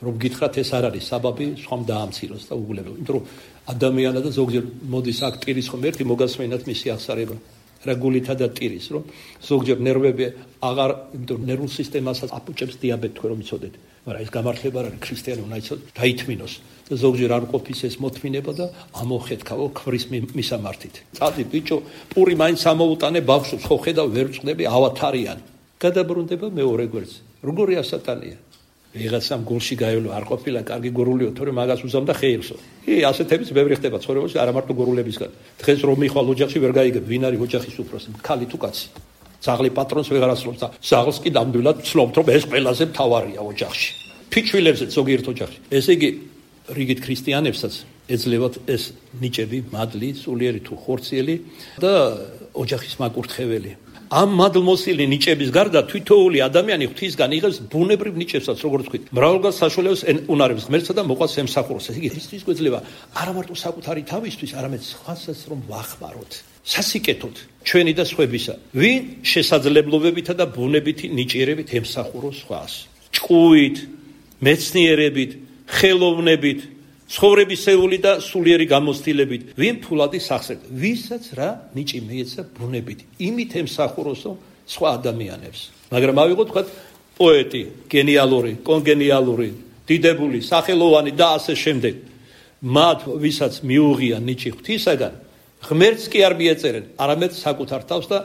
რომ გითხრათ ეს არ არის საბაბი სხვამ დაამციროს და უგულებელ იმიტომ რომ ადამიანა და ზოგჯერ მოდის აქ ტირის ხომ ერთი მოგასმენათ მისი აღსარება რა გულითა და ტირის რომ ზოგჯერ ნერვები აღარ იმიტომ ნერვულ სისტემასაც აპუჭებს დიაბეტი თქვენ რომ იცოდეთ მაგრამ ეს გამართლება არ არის ქრისტიანი უნდა იცოდეთ დაითმინოს და ზოგჯერ არ ყოფის ეს მოთმინება და ამოხეთქავო ხვრის მისამართით წადი ბიჭო პური მაინც ამოუტანე ბავშვს ხო ხედავ ვერ წვდები ავათარიან გადაბრუნდება მეორე გვერდზე როგორი ასატანია ვიღაცამ გულში გაივლო არ ყოფილა კარგი გურულიო, თორემ მაგას უზამდა ხეილსო. ასეთებიც ბევრი ხდება ცხოვრებაში, არა მარტო გურულებისგან. დღეს რომ მიხვალ ოჯახში ვერ გაიგებ, ვინ არის ოჯახის უფროსი, ქალი თუ კაცი. ძაღლი პატრონს ვეღარ ასრულებს და ძაღლს კი ნამდვილად ცნობთ, რომ ეს ყველაზე მთავარია ოჯახში. ფიჩვილებზეც ზოგიერთ ოჯახში. ესე იგი, რიგით ქრისტიანებსაც ეძლევათ ეს ნიჭები, მადლი, სულიერი თუ ხორციელი და ოჯახის მაკურთხეველი. ამ მადლმოსილი ნიჭების გარდა თითოეული ადამიანი ღვთისგან იღებს ბუნებრივ ნიჭებსაც, როგორც ვთქვით, მრავალგან საშუალებას უნარებს ღმერთსა და მოყავს ემსახუროს. ესე იგი, ხრისტის გვეძლება არა მარტო საკუთარი თავისთვის, არამედ სხვასაც რომ ვახმაროთ, სასიკეთოდ ჩვენი და სხვებისა, ვინ შესაძლებლობებითა და ბუნებითი ნიჭიერებით ემსახუროს სხვას, ჭკუით, მეცნიერებით, ხელოვნებით, ცხოვრებისეული და სულიერი გამოცდილებით, ვინ ფულადი სახსრად, ვისაც რა ნიჭი მიეცა ბუნებით, იმით ემსახუროსო სხვა ადამიანებს. მაგრამ ავიღოთ თქვათ პოეტი, გენიალური, კონგენიალური, დიდებული, სახელოვანი და ასე შემდეგ. მათ ვისაც მიუღია ნიჭი ღვთისაგან, ღმერთს კი არ მიეწერენ, არამედ საკუთარ თავს და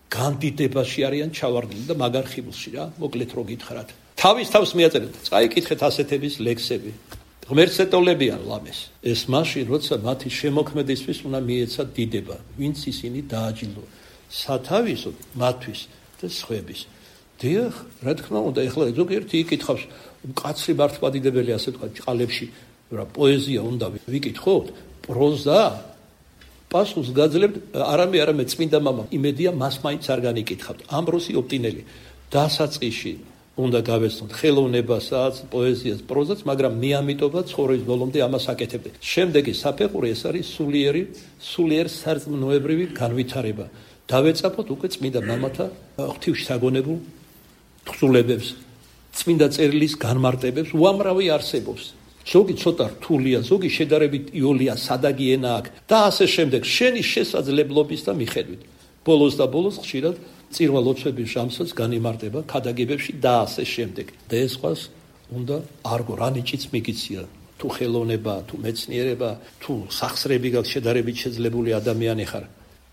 განდიდებაში არიან ჩავარდნილი და მაგარ ხიბლში რა, მოკლედ რო გითხრათ. თავის თავს მიეწერენ, წაიკითხეთ ასეთების ლექსები. ღმერთს ეტოლებიან ლამეს. ეს მაშინ, როცა მათი შემოქმედისთვის უნდა მიეცა დიდება, ვინც ისინი დააჯილდო, სათავისოდ მათთვის და სხვების. დიახ, რა თქმა უნდა, ეხლა ზოგიერთი იკითხავს, კაცრი მართლმადიდებელი ასე თქვა, ჭყალებში, რა პოეზია უნდა ვიკითხოთ, პროზა. პასუხს გაძლევთ, არამედ წმინდა მამა იმედია მას მაინც არ განიკითხავთ. ამბროსი ოპტინელი დასაწყისში უნდა გავეცნოთ ხელოვნებასაც, პოეზიას, პროზას, მაგრამ მიამიტობა ცხოვრების ბოლომდე ამას აკეთებდე. შემდეგი საფეხური ეს არის სულიერ სარწმუნოებრივი განვითარება. დავეწაფოთ უკვე წმინდა მამათა ღვთივში საგონებულ თხზულებებს, წმინდა წერილის განმარტებებს, უამრავი არსებობს. ზოგი ცოტა რთულია, ზოგი შედარებით იოლია, სადაგი ენა აქვს და ასე შემდეგ. შენი შესაძლებლობის და მიხედვით. ბოლოს და ბოლოს ხშირად წირვა ლოცვების ჟამსაც განიმარტება ქადაგებებში და ასე შემდეგ. და ეს ყვას უნდა არგო რა ნიჭიც მიგიცია. თუ ხელოვნება, თუ მეცნიერება, თუ სახსრები გაქვს შედარებით შეძლებული ადამიანი ხარ.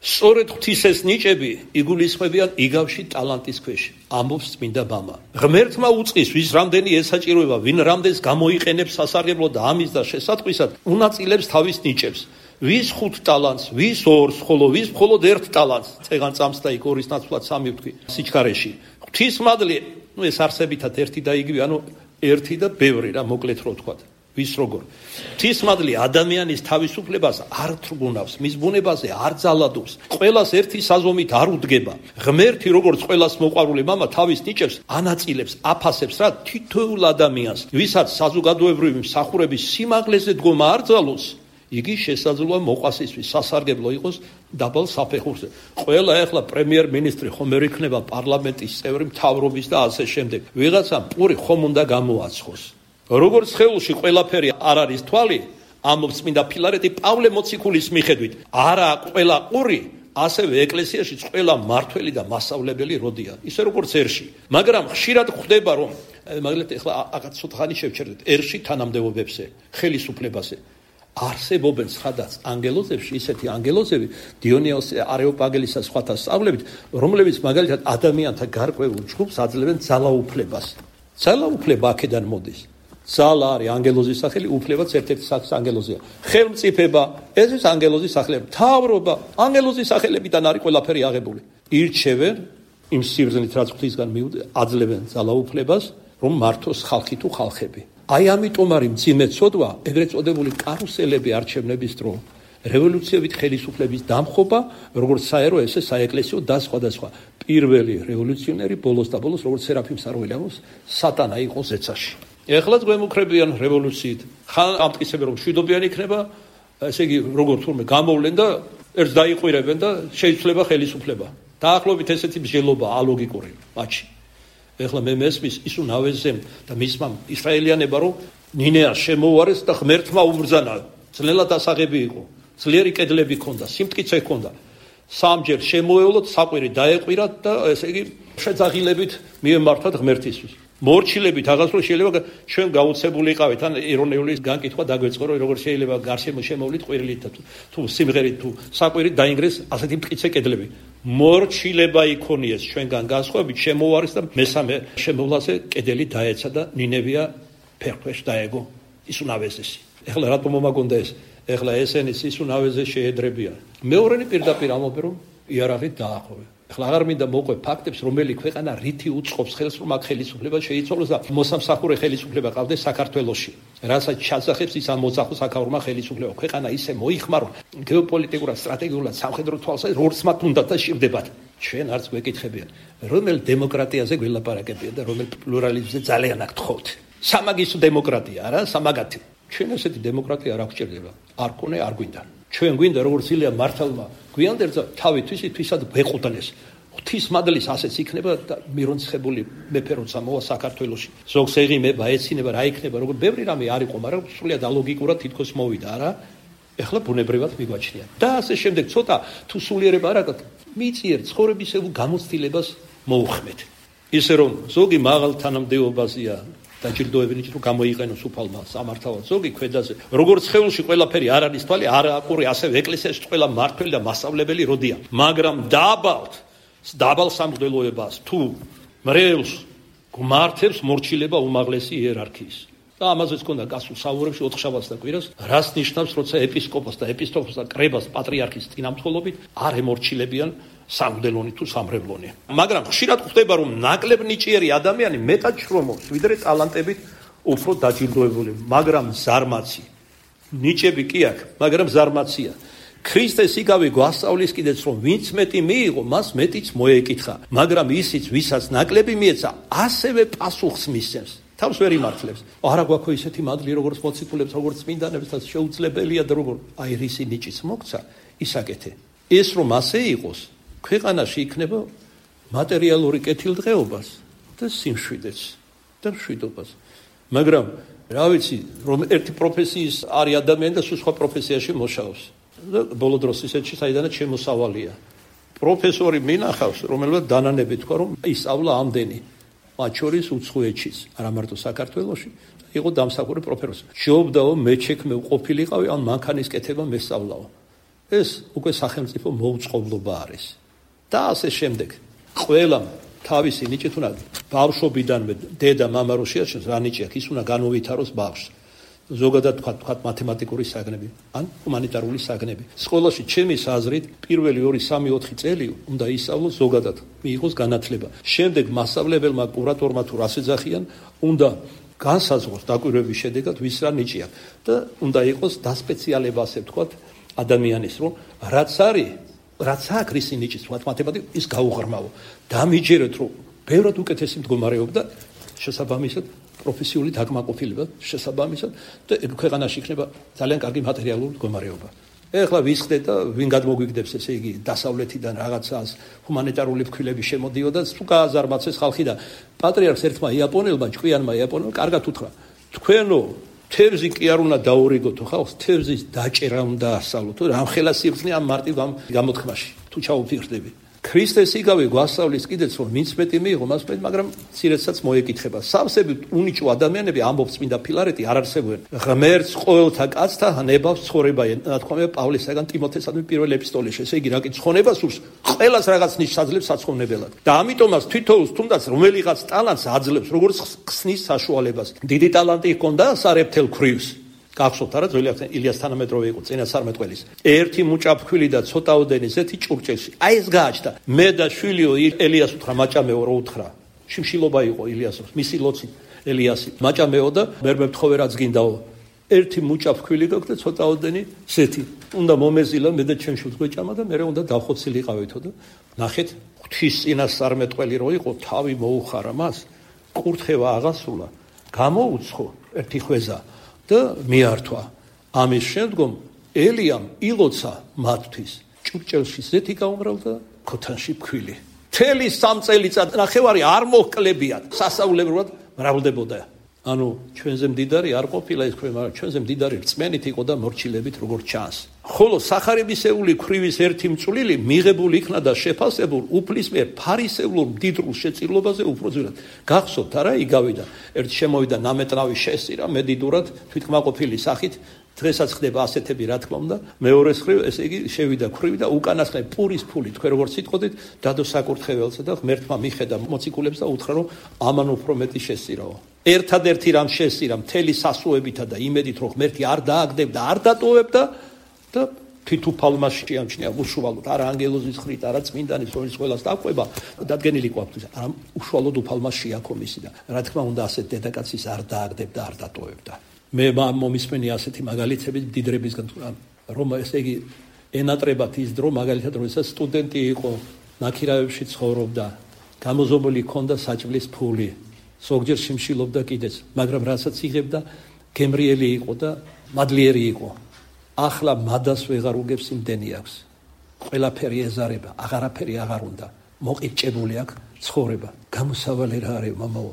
სწორედ ღვთის ეს ნიჭები იგულისხმებიან იგავში ტალანტის ქვეშ, ამბობს წმინდა მამა. ღმერთმა უწყის, ვის რამდენი ესაჭიროება, ვინ რამდენს გამოიყენებს სასარგებლოდ და ამის და შესატყვისად, უნაწილებს თავის ნიჭებს. ვის 5 ტალანტს, ვის 2-ს, ხოლო ვის მხოლოდ 1 ტალანტს, წეგან წამს და იქ 2-ის ნაცვლად 3 ვთქვი, სიჩქარეში. ღვთის მადლი, ეს არსებითად 1 და იგივე, 1 და ბევრი რა, მოკლედ რო ვთქვათ. ვის როგორ. ღვთის მადლი ადამიანის თავისუფლებას არ თრგუნავს, მის ბუნებაზე არ ძალადობს, ყველას ერთი საზომით არ უდგება. ღმერთი როგორც ყველას მოყვარული მამა თავის ნიჭებს ანაწილებს, აფასებს რა თითოეულ ადამიანს, ვისაც საზოგადოებრივი მსახურების სიმაღლეზე დგომა არ ძალოს, იგი შესაძლოა მოყვასისთვის სასარგებლო იყოს დაბალ საფეხურზე. ყველა ეხლა პრემიერ-მინისტრი ხომ ვერ იქნება პარლამენტის წევრი, მთავრობის და ასე შემდეგ. ვიღაცამ პური ხომ უნდა გამოაცხოს. როგორც სხეულში ყველაფერი არ არის თვალი, ამბობს წმინდა ფილარეტი პავლე მოციქულის მიხედვით, არა ყველა ყური, ასევე ეკლესიაში ყველა მართველი და მასწავლებელი როდია, ისე როგორც ერში. მაგრამ ხშირად ხვდება, რომ მაგალითად ეხლა ცოტა ხანი შევჩერდეთ ერში თანამდებობებზე, ხელისუფლებაზე. არსებობენ სხვადასხვა ანგელოზებში, ისეთი ანგელოზები, დიონიოს არეოპაგელისა სხვათა სწავლებით, რომლებიც მაგალითად ადამიანთა გარკვეულ ჯგუფს აძლევენ ძალაუფლებას. ძალაუფლება აქედან მოდის. ძალა არის ანგელოზის სახელი, უფლებაც ერთ-ერთი ანგელოზია. ხელმწიფება, ეს ის ანგელოზის სახელები. მთავრობა, ანგელოზის სახელებიდან არის ყველაფერი აღებული. ირჩევენ იმ სიბრძნით, რაც ღვთისგან აძლევენ ძალაუფლებას, რომ მართოს ხალხი თუ ხალხები. აი ამიტომ არის მძიმე ცოდვა, ეგრეთ წოდებული კარუსელები არჩევნების დრო, რევოლუციებით ხელისუფლების დამხობა, როგორც საერო, ესე საეკლესიო და სხვადასხვა. პირველი რევოლუციონერი ბოლოს და ბოლოს, როგორც სერაფიმ საროველიანოს, სატანა იყო ზეცაში. ეხლაც გვემუქრებიან რევოლუციით. ხან ამტკიცებენ, რომ მშვიდობიან იქნება, ესე იგი, როგორ თურმე გამოვლენ და ერთს დაიყვირებენ და შეიცვლება ხელისუფლება. დაახლოებით ესეთი მსჯელობა ალოგიკური მათში. ეხლა მე მესმის ის უნავეზემ და მისმა ისრაელიანება რომ ნინეას შემოუარეს და ღმერთმა უბრძანა, ძნელად ასაღები იყო, ძლიერი კედლები ჰქონდა, სიმტკიცე ჰქონდა. სამჯერ შემოევლოთ, საყვირი დაეყვირათ და ესე იგი შეძაღილებით მიემართათ ღმერთისთვის. მორჩილებით აღასრულე შეიძლება ჩვენ გაუცებულიყავით ან ირონიული განკითხვა დაგვეწყო რომ როგორ შეიძლება გარშემო შემოვლით ყვირილით თუ სიმღერით თუ საყვირით დაინგრეს ასეთი მტკიცე კედლები. მორჩილება იქონიეს ჩვენგან განსხვავებით შემოვარის და მესამე შემოვლაზე კედელი დაეცა და ნინევია ფერქვეშ დაეგო ისუნავეზესი. ეხლა რატომ მომაგონდა ეს? ეხლა ესენის ისუნავეზე შეედრებიან. მეორენი პირდაპირ ამბობენ რომ იარაღით დაახოვე. ეხლა აღარ მინდა მოყვე ფაქტებს, რომელი ქვეყანა რითი უწყობს ხელს, რომ აქ ხელისუფლება შეიცვალოს და მოსამსახურე ხელისუფლება ყავდეს საქართველოში. რასაც ჩასახებს ის ამ მოძახო საქაურმა ხელისუფლება. ქვეყანა ისე მოიხმარო, გეოპოლიტიკურად, სტრატეგიულად, სამხედრო თვალსაზრისით, როგორც მათ უნდათ და სჭირდებათ. ჩვენ არც გვეკითხებიან, რომელ დემოკრატიაზე გველაპარაკებიან და რომელ პლურალიზმზე ძალიან აქ თხოვთ. სამაგისო დემოკრატია, არა, სამაგათი. ჩვენ ესეთი დემოკრატია არ აღჭირდება. არ გქონე, არ გვინდა. ჩვენ გვინდა როგორც ილია მართალმა გვიანდერძა თავი თვისად ვეყუდნეს. ღვთისმადლის ასეც იქნება და მირონცხებული მეფე როცა მოვა საქართველოში. ზოგს ეღიმება, ეცინება, რა იქნება, როგორ ბევრი რამე არ იყო, მაგრამ სრულიად ალოგიკურად თითქოს მოვიდა, არა? ეხლა ბუნებრივად მიგვაჩნია. და ასე შემდეგ ცოტა თუ სულიერება არ აქვს, მიწიერ ცხოვრებისეულ გამოცდილებას მოუხმეთ. ისე რომ ზოგი მაღალ თანამდებობაზეა დაჯილდოებინი რომ გამოიყენოს უფალმა სამართავად ზოგი ქვედაზე როგორც ხეულში ყველაფერი არ არის თვალი არა აყური ასევე ეკლესიაში ყველა მართველი და მასწავლებელი როდია მაგრამ დაბალ სამღვდელოებას თუ მრევლს გმართებს მორჩილება უმაღლესი იერარქიის და ამაზეც ქონდა გასულ საუბრებში 4 შაბათს და კვირას რას ნიშნავს როცა ეპისკოპოსს და ეპისკოპოსს და კრებას პატრიარქის წინამძღოლობით არ ემორჩილებიან სამღვდელონი თუ სამრევლონი. მაგრამ ხშირად ხდება რომ ნაკლებ ნიჭიერი ადამიანი მეტად შრომობს, ვიდრე ტალანტებით უფრო დაჯილდოებული, მაგრამ ზარმაცი. ნიჭები კი აქვს, მაგრამ ზარმაცია. ქრისტეს იგავი გვასწავლის კიდეც რომ ვინც მეტი მიიღო, მას მეტიც მოეკითხა, მაგრამ ისიც ვისაც ნაკლები მიეცა, ასევე პასუხს მისცემს. თავს ვერ იმართლებს. არა გვაქვს ისეთი მადლი, როგორც მოციქულებს, როგორც წმინდანებს და შეუძლებელია და როგორ აი რისი ნიჭიც მოგცა, ისაკეთე. ეს რომ ასე იყოს ქვეყანაში იქნება მატერიალური კეთილდღეობას და სიმშვიდეს და მშვიდობას. მაგრამ რა ვიცი, რომ ერთი პროფესიის არის ადამიანი და სხვა პროფესიაში მოშავს. და ბოლო დროს ისეთში საიდანაც შემოსავალია. პროფესორი მინახავს, რომელსაც დანანები თქვა, რომ ისწავლა ამდენი. მათ შორის უცხოეთშიც, არა მარტო საქართველოში, იყო დამსახურე პროფესორი. ჯობდაო მეჩექმე უყოფილიყავი, ან მანქანის კეთება მესწავლაო. ეს უკვე სახელმწიფო მოუწყობლობა არის. და ასე შემდეგ. ყველამ თავისი ნიჭი თუნა ბავშვობიდანვე დედა მამა რო შეაჩენს რა ნიჭი აქვს, ის უნდა განუვითაროს ბავშვს. ზოგადად თქვა მათემატიკური საგნები, ან ჰუმანიტარული საგნები. სკოლაში ჩემის აზრით პირველი 2-3-4 წელი უნდა ისწავლოს ზოგადად, მიიღოს განათლება. შემდეგ მასწავლებელმა კურატორმა თუ რას ეძახიან, უნდა განსაზღვროს დაკვირვების შედეგად ვის რა ნიჭი აქვს და უნდა იყოს დასპეციალება, ასე ვთქვათ, ადამიანის, რომ რაც არის რაც აქვს რისი ნიჭის მათემატიკა ის გაუღრმავო. დამიჯერეთ რომ ბევრად უკეთესი მდგომარეობა და შესაბამისად პროფესიული დაკმაყოფილება შესაბამისად და ქვეყანაში იქნება ძალიან კარგი მატერიალური მდგომარეობა. ეხლა ვისხდეთ და ვინ გადმოგვიგდებს ესე იგი დასავლეთიდან რაღაცას ჰუმანიტარული ფქვილები შემოდიოდა და თუ გააზარმაცეს ხალხი და პატრიარქს ერთმა იაპონელმა ჭკვიანმა იაპონელმა კარგად უთხრა თქვენო თევზი კი არ უნდა დაურიგოთ ხალხს, თევზის დაჭერა უნდა ასწავლოთ. რამ ხელა სიბრძნე ამ მარტივ გამოთქმაში თუ ჩაუფიქრდები. ქრისტეს იგავი გვასწავლის კიდეც რომ ვინც მეტი მიიღო, მას მეტი, მაგრამ ცირეცაც მოეკითხება. სავსებით უნიჭო ადამიანები ამბობს წმინდა ფილარეტი არ არსებობენ. ღმერთს ყოველთა კაცთა ნებავს ცხოვრება, ნათქვამია პავლესაგან ტიმოთესადმი პირველ ეპისტოლეში. ესე იგი, რა კი ცხონება სურს, ყველას რაღაც ნიშს აძლევს საცხოვნებელად. და ამიტომაც თვითოულს თუნდაც რომელიღაც ტალანტს აძლევს, როგორც ხსნის საშუალებას. დიდი ტალანტი ჰქონდა სარებთელ ქვრივს. გახსოვთ არა ძველი ილიას თანამედროვე იყო წინა 13 წლის. ერთი მუჭა ფქვილი და ცოტაოდენი ზეთი ჭურჭელში. აი ეს გააჩნდა. მე და შვილიო ელიას უთხრა მაჭამეო რო უთხრა. შიმშილობა იყო ილიასოს, მისი ლოცი ელიასი. მაჭამეო და მე მთხოვე რაც გინდაო. ერთი მუჭა ფქვილი გაქვს და ცოტაოდენი ზეთი. უნდა მომეზილა მე და ჩემ შვილს გვეჭამა და მე უნდა დავხოცილიყავითო და ნახეთ ღვთის წინა 13 წელი რო იყო, თავი მოუხარა მას, კურთხევა აღასრულა, გამოუცხო ერთი ხვეზა. და მიართვა. ამის შემდგომ ელიამ ილოცა მათთვის ჭურჭელში ზეთი გაუმრავლდა ქოთანში ფქვილი. მთელი 3 წელიწად ნახევარი არ მოჰკლებიათ, სასწაულებრივად მრავლდებოდა. ანუ ჩვენზე მდიდარი არ ყოფილა ეს ქვე, მაგრამ ჩვენზე მდიდარი რწმენით იყო და მორჩილებით როგორც ჩანს. ხოლო სახარებისეული ქვრივის ერთი მწვლილი მიღებული იქნა და შეფასებულ უფლის მიერ ფარისეულურ მდიდრულ შეწირლობაზე უფრო ძვირად. გახსოვთ არა, იგავიდა. ერთ შემოვიდა ნამეტნავი შესწირა მედიდურად თვითკმაყოფილი სახით. დღესაც ხდება ასეთები, რა თქმა უნდა. მეორეს ხრივ ესე იგი შევიდა ქვრივი და უკანასკნელი პურის ფული, თქვენ როგორც სიტყვით, დადო საკურთხეველსა და ღმერთმა მიხედა მოციქულებს და უთხრა, რომ ამან უფრო მეტი შესწირაო. ერთადერთი რამ შესწირა მთელი სასუებითა და იმედით, რომ ღმერთი არ დააგდებდა, არ დატოვებდა და თვითუფალმა შეამჩნია უშუალოდ, არა ანგელოზის ხრით, არა წმინდანის, რომელიც ყველას დაყვება, დადგენილი ყოფილი, არა უშუალოდ უფალმა შეაქომისი და რა თქმა უნდა ასეთ დედაკაცის არ დააგდებდა, არ დატოვებდა. მე მომისმენი ასეთი მაგალითები დიდრებისგან, რომ ესე იგი ენატრებათ ის დრო, მაგალითად როდესაც სტუდენტი იყო, ნაქირავებში ცხოვრობდა, გამოზომული ჰქონდა საჭმლის ფული, ზოგჯერ შიმშილობდა კიდეც, მაგრამ რასაც იღებდა, გემრიელი იყო და მადლიერი იყო. ახლა მადას ვეღარ უგებს, იმდენი აქვს. ყველაფერი ეზარება, აღარაფერი აღარ უნდა. მოყიჭებული აქვს ცხოვრება. გამოსავალი რა არის, მამაო?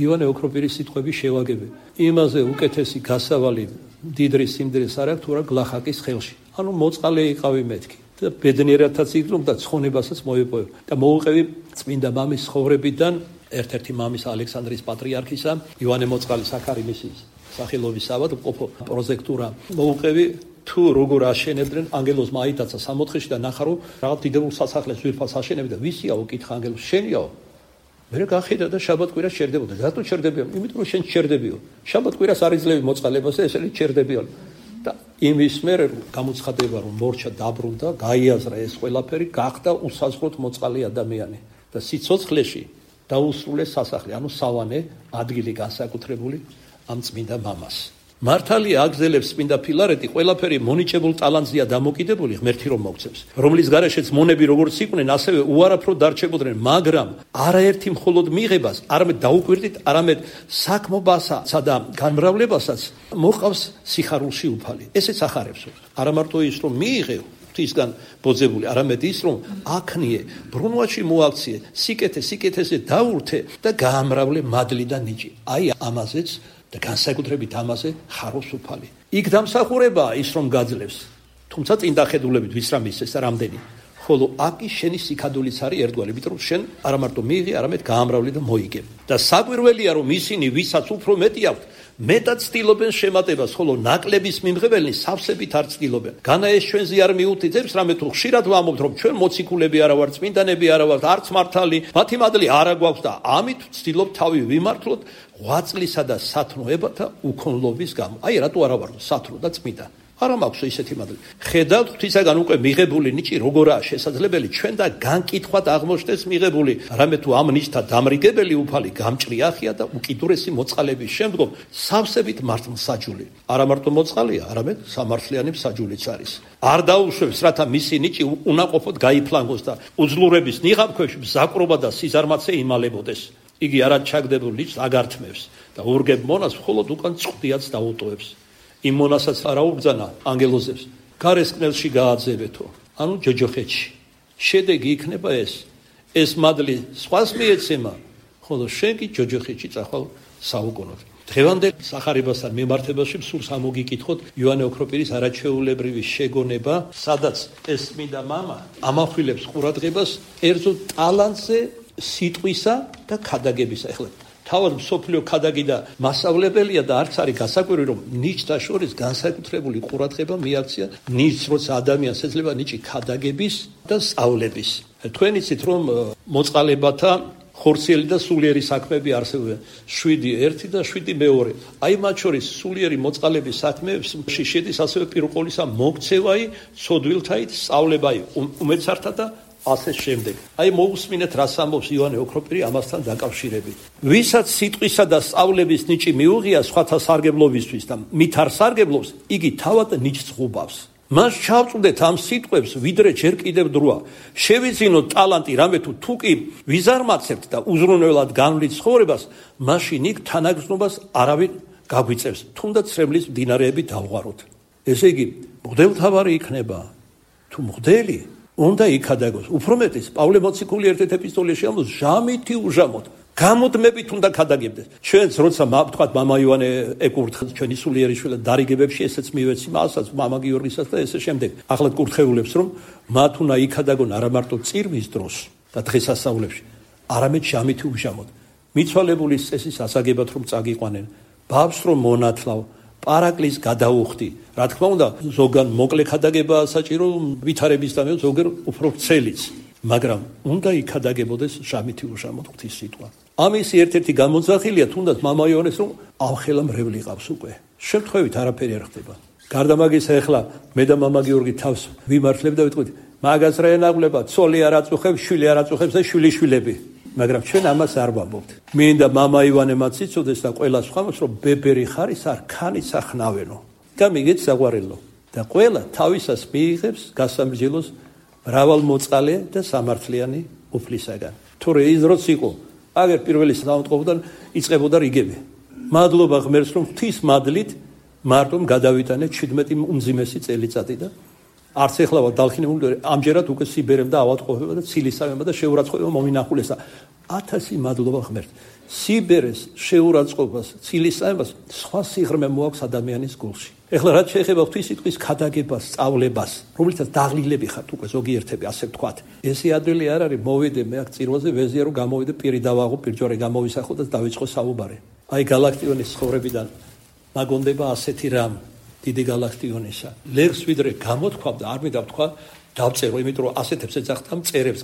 ივანე ოქროპირის სიტყვები შევაგები. იმაზე უკეთესი გასავალი დიდრი სიმდიდრეს არ აქვს, თუ რა გლახაკის ხელში. ანუ მოწყალე იყავი მეთქი. და ბედნიერათაც იგრძნობ და ცხონებასაც მოეპოვებ. და მოუყევი წმინდა მამის ცხოვრებიდან ერთ-ერთი მამის ალექსანდრის პატრიარქისა, ივანე მოწყალის საქარიმისის სახელობის ავადმყოფო პროექტურა მოუყევი. თუ როგორ აშენებდნენ, ანგელოზ მაიტაცა 64-ში და ნახა რომ რაღაც დიდებულ სასახლეს ძვირფას აშენებდა და ვისიაო, კითხა ანგელოზ, შენიაო? მე გახედა და შაბათ-კვირას ჩერდებოდა. რატო ჩერდებიან? იმიტომ რომ შენ ჩერდებიო. შაბათ-კვირას არ იძლევი მოწყალებას და ესენი ჩერდებიან. და იმის მერე გამოცხადება რომ მორჩა დაბრუნდა, გაიაზრა ეს ყველაფერი, გახდა უსაზღროდ მოწყალი ადამიანი და სიცოცხლეში დაუსრულეს სასახლე, ანუ სავანე ადგილი განსაკუთრებული ამ წმინდა მამას. მართალია აგზელებს წმინდა ფილარეტი ყველაფერი მონიჭებულ ტალანტზეა დამოკიდებული ღმერთი რომ მოგცემს, რომლის გარეშეც მონები როგორც იყვნენ, ასევე უარაფროდ დარჩებოდნენ, მაგრამ არაერთი მხოლოდ მიღებას, არამედ დაუკვირდით, არამედ საქმობასა და განმრავლებასაც მოყავს სიხარულში უფალი. ესეც ახარებს, არა მარტო ის რომ მიიღე ღვთისგან ბოძებული, არამედ ის რომ აქნიე, ბრუნვაში მოაქციე, სიკეთეზე დაურთე და გაამრავლე მადლი და ნიჭი. აი ამაზეც და განსაკუთრებით ამაზე ხარობს უფალი. იქ დამსახურებაა ის რომ გაძლევს, თუმცა წინ დახედულებით ვის რა მისცეს და რამდენი. ხოლო აკი შენი სიკადულიც არის ერთგვარი, იმიტომ რომ შენ არა მარტო მიიღე, არამედ გაამრავლე და მოიგე. და საკვირველია რომ ისინი, ვისაც უფრო მეტი აქვთ, მეტად ცდილობენ შემატებას, ხოლო ნაკლების მიმღებელნი სავსებით არ ცდილობენ. განა ეს ჩვენზე არ მიუთითებს, რამე თუ ხშირად ვამბობთ, რომ ჩვენ მოციქულები არა ვართ, წმინდანები არა ვართ, არც მართალი, მათი მადლი არა გვაქვს და ამით ვცდილობთ თავი ვიმართლოთ ღვაწლისა და სათნოებათა უქონლობის გამო. აი რატო არა ვარ სათნო და წმინდა? არა მაქვს ისეთი მადლი. ხედავთ ღვთისაგან უკვე მიღებული ნიჭი როგორაა შესაძლებელი ჩვენ და განკითხვად აღმოჩნდეს მიღებული, რამე თუ ამ ნიჭთა დამრიგებელი უფალი გამჭრიახია და უკიდურესი მოწყალების შემდგომ სავსებით მართლმსაჯული. არა მარტო მოწყალია, არამედ სამართლიანი მსაჯულიც არის. არ დაუშვებს, რათა მისი ნიჭი უნაყოფოდ გაიფლანგოს და უძლურების ნიღაბქვეშ მზაკრობა და სიზარმაცე იმალებოდეს. იგი არად ჩაგდებულ ნიჭს აგართმევს და ურგებ მონას მხოლოდ უკან წვდიაც დაუტოვებს. იმ მონასაც არა უბძანა ანგელოზებს, გარესკნელში გააძევეთო, ანუ ჯოჯოხეთში. შედეგი იქნება ეს მადლი სხვას მიეცემა, ხოლო შენ კი ჯოჯოხეთში წახვალ საუკუნოდ. დღევანდელ სახარებასთან მიმართებაში სურს ამოგიკითხოთ ივანე ოქროპირის არაჩვეულებრივი შეგონება, სადაც ეს წმინდა მამა ამახვილებს ყურადღებას კერძო ტალანტზე, სიტყვისა და ქადაგებისა. ეხლა თავად მსოფლიო ქადაგი და მასწავლებელია და არც არის გასაკვირი რომ ნიჭთა შორის განსაკუთრებული ყურადღება მიაქცია ნიჭს, როცა ადამიანს ეძლევა ნიჭი ქადაგების და სწავლების. თქვენ იცით რომ მოწყალებათა ხორციელი და სულიერი საქმეები არსებობენ 7-1 და 7-2. აი მათ შორის სულიერი მოწყალების საქმეებში შედის ასევე პირუყოლისა მოქცევაი, ცოდვილთაით სწავლებაი უმეცართა და ასე შემდეგ. აი მოусმინეთ რას ამბობს ივანე ოქროპირი ამასთან დაკავშირებით. ვისაც სიტყვისა და სწავლების ნიჭი მიუღია სხვათა სარგებლობისთვის და მით არ სარგებლობს, იგი თავად ნიჭს ღუბავს. მას ჩავწვდეთ ამ სიტყვებს, ვიდრე ჯერ კიდევ დროა. შევიძინოთ ტალანტი, რამე თუ კი ვიზარმაცებთ და უზრუნველად განვლით ცხოვრებას, მაშინ იქ თანაგრძნობას არავინ გაგვიწევს, თუნდაც ცრემლის მდინარეები დავღვაროთ. ესე იგი, მღვდელთავარი იქნება თუ მღვდელი უნდა იქადაგოს. უფრო მეტიც, პავლე მოციქული ერთ-ერთ ეპისტოლეში ამბობს, ჟამითი უჟამოთ, გამუდმებით უნდა ქადაგებდეს. ჩვენც როცა თქვათ მამა ივანე ეკურთხა ჩვენი სულიერი შვილად დარიგებებში, ესეც მივეცი მასაც, მამა გიორგისაც და ესე შემდეგ. ახლა კურთხეულებს რომ მათ უნდა იქადაგონ არა მარტო წირვის დროს და დღესასწაულებში, არამედ შამითი უშამოდ. მიცვალებულის წესის ასაგებად რომ წაგიყვანენ, ბაბს რომ მონათლავ, პარაკლის გადაუხდი. რა თქმა უნდა, ზოგან მოკლე ქადაგებაა საჭირო ვითარებისთანავე, ზოგერ უფრო ვრცელიც. მაგრამ უნდა იქადაგებოდეს შამითი უშამოდ ღვთის სიტყვა. ამის ერთ-ერთი გამოძახილია თუნდაც მამა იონეს რომ ამხელა მრევლი ყავს უკვე. შემთხვევით არაფერი არ ხდება. გარდა მაგისა ახლა მე და მამა გიორგი თავს ვიმართლებ და ვიტყვით, მაგას რა ენაღვლება, ცოლი არ აწუხებს, შვილი არ აწუხებს და შვილიშვილები. მაგრამ ჩვენ ამას არ ვამბობთ. მინდა მამა ივანემაც იცოდეს და ყველა სხვამაც რომ ბებერი ხარის არ ქანიც ახნავენო. გამიგეთ საყვარელო და ყველა თავისას მიიღებს გასამრჯელოს მრავალმოწყალე და სამართლიანი უფლისაგან. თორე ის დროს იყო, აგერ პირველი საავადმყოფოდან იწყებოდა რიგები. მადლობა ღმერთს რომ ღვთის მადლით მარტომ გადავიტანეთ 17 უმძიმესი წელიწადი და არც ეხლა დალხინებული ამჯერად უკვე სიბერემ და ავადმყოფობა და ცილისავება და შეურაცხყოფა მომინახულესა. 1000 მადლობა ღმერთს. სიბერეს, შეურაცხყოფას, ცილისავებას სხვა სიღრმე მოაქვს ადამიანის გულში. ეხლა რაც შეეხება ღვთის სიტყვის ქადაგებას, სწავლებას, რომლითაც დაღლილები ხართ უკვე ზოგიერთები, ასე ვთქვათ. ესე ადვილი არ არის, მოვიდე მე აქ წირვაზე ვეზია რომ გამოვიდე პირი დავაღო, პირჯვარი გამოვისახო და დავიწყო საუბარი. აი გალაქტიონის ცხოვრებიდან მაგონდება ასეთი რამ დიდი გალაქტიონისა. ლერს ვიდრე გამოთქვამდა, არ მინდა ვთქვა, დავწერო, იმიტომ რომ ასეთებს ეძახდა მწერებს,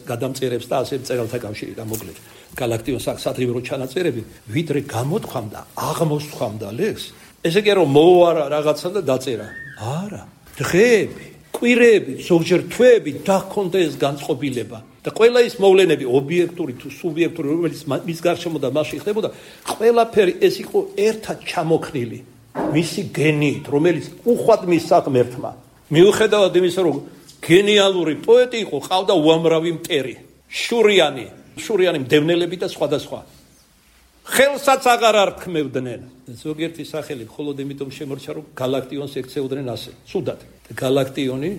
გადამწერებს და ასე მწერალთა კავშირი და მოკლედ. გალაქტიონს საძღვრო ჩანაწერები, ვიდრე გამოთქვამდა, აღმოსთქვამდა ლერს. ესე კი რომ მოუარა რაღაცა და დაწერა. არა, დღეები, კვირები, ზოგჯერ თვეები დახონდა ეს განწყობილება. და ყველა ის მოვლენები, ობიექტური თუ სუბიექტური, რომელიც მის გარშემო და მასში ხდებოდა, ყველაფერი ეს იყო ერთად ჩამოქნილი. მისი გენიით, რომელიც უხვად მისცა ღმერთმა. მიუხედავად იმისა, რომ გენიალური პოეტი იყო, ყავდა უამრავი მტერი, შურიანი მდევნელები და სხვადასხვა. ხელსაც აღარ არქმევდნენ. ზოგიერთი სახელი მხოლოდ იმიტომ შემორჩა, რომ გალაქტიონს ექცეოდნენ ასე. ცუდად. გალაქტიონი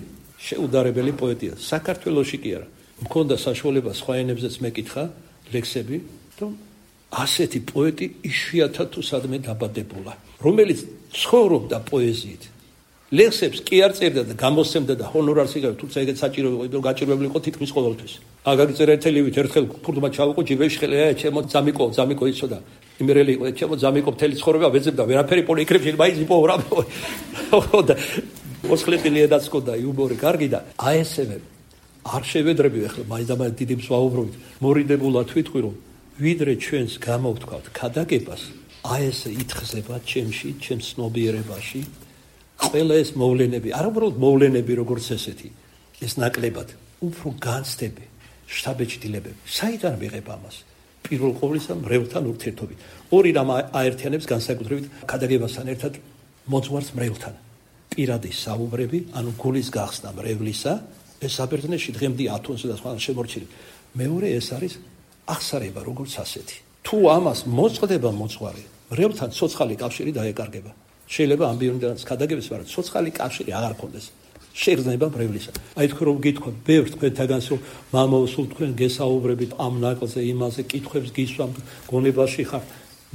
შეუდარებელი პოეტია. საქართველოში კი არა. მქონდა საშუალება სხვა ენებზეც მეკითხა ლექსები, რომ ასეთი პოეტი იშვიათად თუ სადმე დაბადებულა, რომელიც ცხოვრობდა პოეზიით. ლექსებს კი არ წერდა და გამოსცემდა და ჰონორარს იღებდა, თუმცა ეგეც საჭირო იყო, რომ გაჭირვებული იყო თითქმის ყოველთვის. აგაგიწერა ერთელივით ერთხელ ფურდმა ჩავიყო ჯიბეში ხელია, ჩემო ძამიკო იცოდა. იმერელი იყო, ჩემო ძამიკო მთელი ცხოვრება ვეძებდა, ვერაფერი პოლიკრებში მაიზიპო რა. და მოსხლეტილიედაც ყოდა იუმორი კარგი და აი ესევე არ შევედრები ახლა მაინდამაინც დიდი მსვაუბრობით. მორიდებულად ვიტყვი რომ ვიდრე ჩვენს გამოვთქვათ ქადაგებას, აი ეს ითხზება ჩემში, ჩემს ცნობიერებაში, ყველა ეს მოვლენები, არა უბრალოდ მოვლენები როგორც ესეთი, ეს ნაკლებად, უფრო განცდები, შთაბეჭდილებები. საიდან ვიღებ ამას? პირველ ყოვლისა მრევლთან ურთიერთობით. ორი რამ აერთიანებს განსაკუთრებით ქადაგებასთან ერთად მოძღვარს მრევლთან. პირადი საუბრები, ანუ გულის გახსნა მრევლისა, ეს საბერძნეთში დღემდე ათონზე და სხვა შემორჩილი. მეორე ეს არის აღსარება როგორც ასეთი. თუ ამას მოწყდება მოძღვარი, მრევლთან ცოცხალი კავშირი დაეკარგება. შეიძლება ამბიონდანაც ქადაგებდეს, მაგრამ ცოცხალი კავშირი აღარ ქონდეს. შეგრძნება მრევლისა. აი თქვენ რომ გითხოვთ, ბევრ თქვენთაგანს რომ მამო, სულ თქვენ გესაუბრებით ამ ნაკლზე, იმაზე კითხვებს გისვამთ, გონებაში ხარ,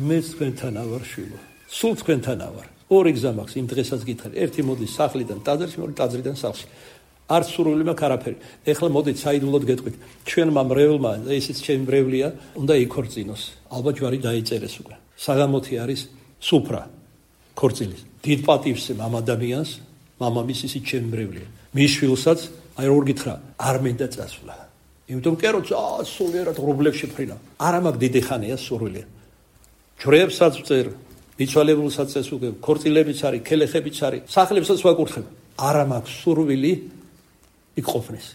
მეც თქვენთანა ვარ შვილო. სულ თქვენთანა ვარ. ორი გზა მაქვს იმ დღესაც გითხარ. ერთი მოდის სახლიდან ტაძარში, მეორე ტაძრიდან სახლში. არც სურვილი მაქვს არაფერი. ეხლა მოდით საიდუმლოდ გეტყვით. ჩვენმა მრევლმა, ესეც ჩემი მრევლია, უნდა იქორწინოს. ალბათ ჯვარი დაიწერეს უკვე. საგამოთი არის სუფრა ქორწილის. დიდ პატივს ამ ადამიანს, მამამის ისიც ჩემი მრევლია. მის შვილსაც, აი როგორ გითხრა, არ მინდა წასვლა. იმიტომ კერო სულიერად ღრუბლებში ფრინა. არა მაქვს დიდი ხანია სურვილი. ჯვრებსაც ვწერ, მიცვალებულსაც წესუგებ, ქორწილებიც არის, ქელეხებიც არის, სახლებსაც ვაკურთხებ. არა მაქვს სურვილი იქ ყოფნის.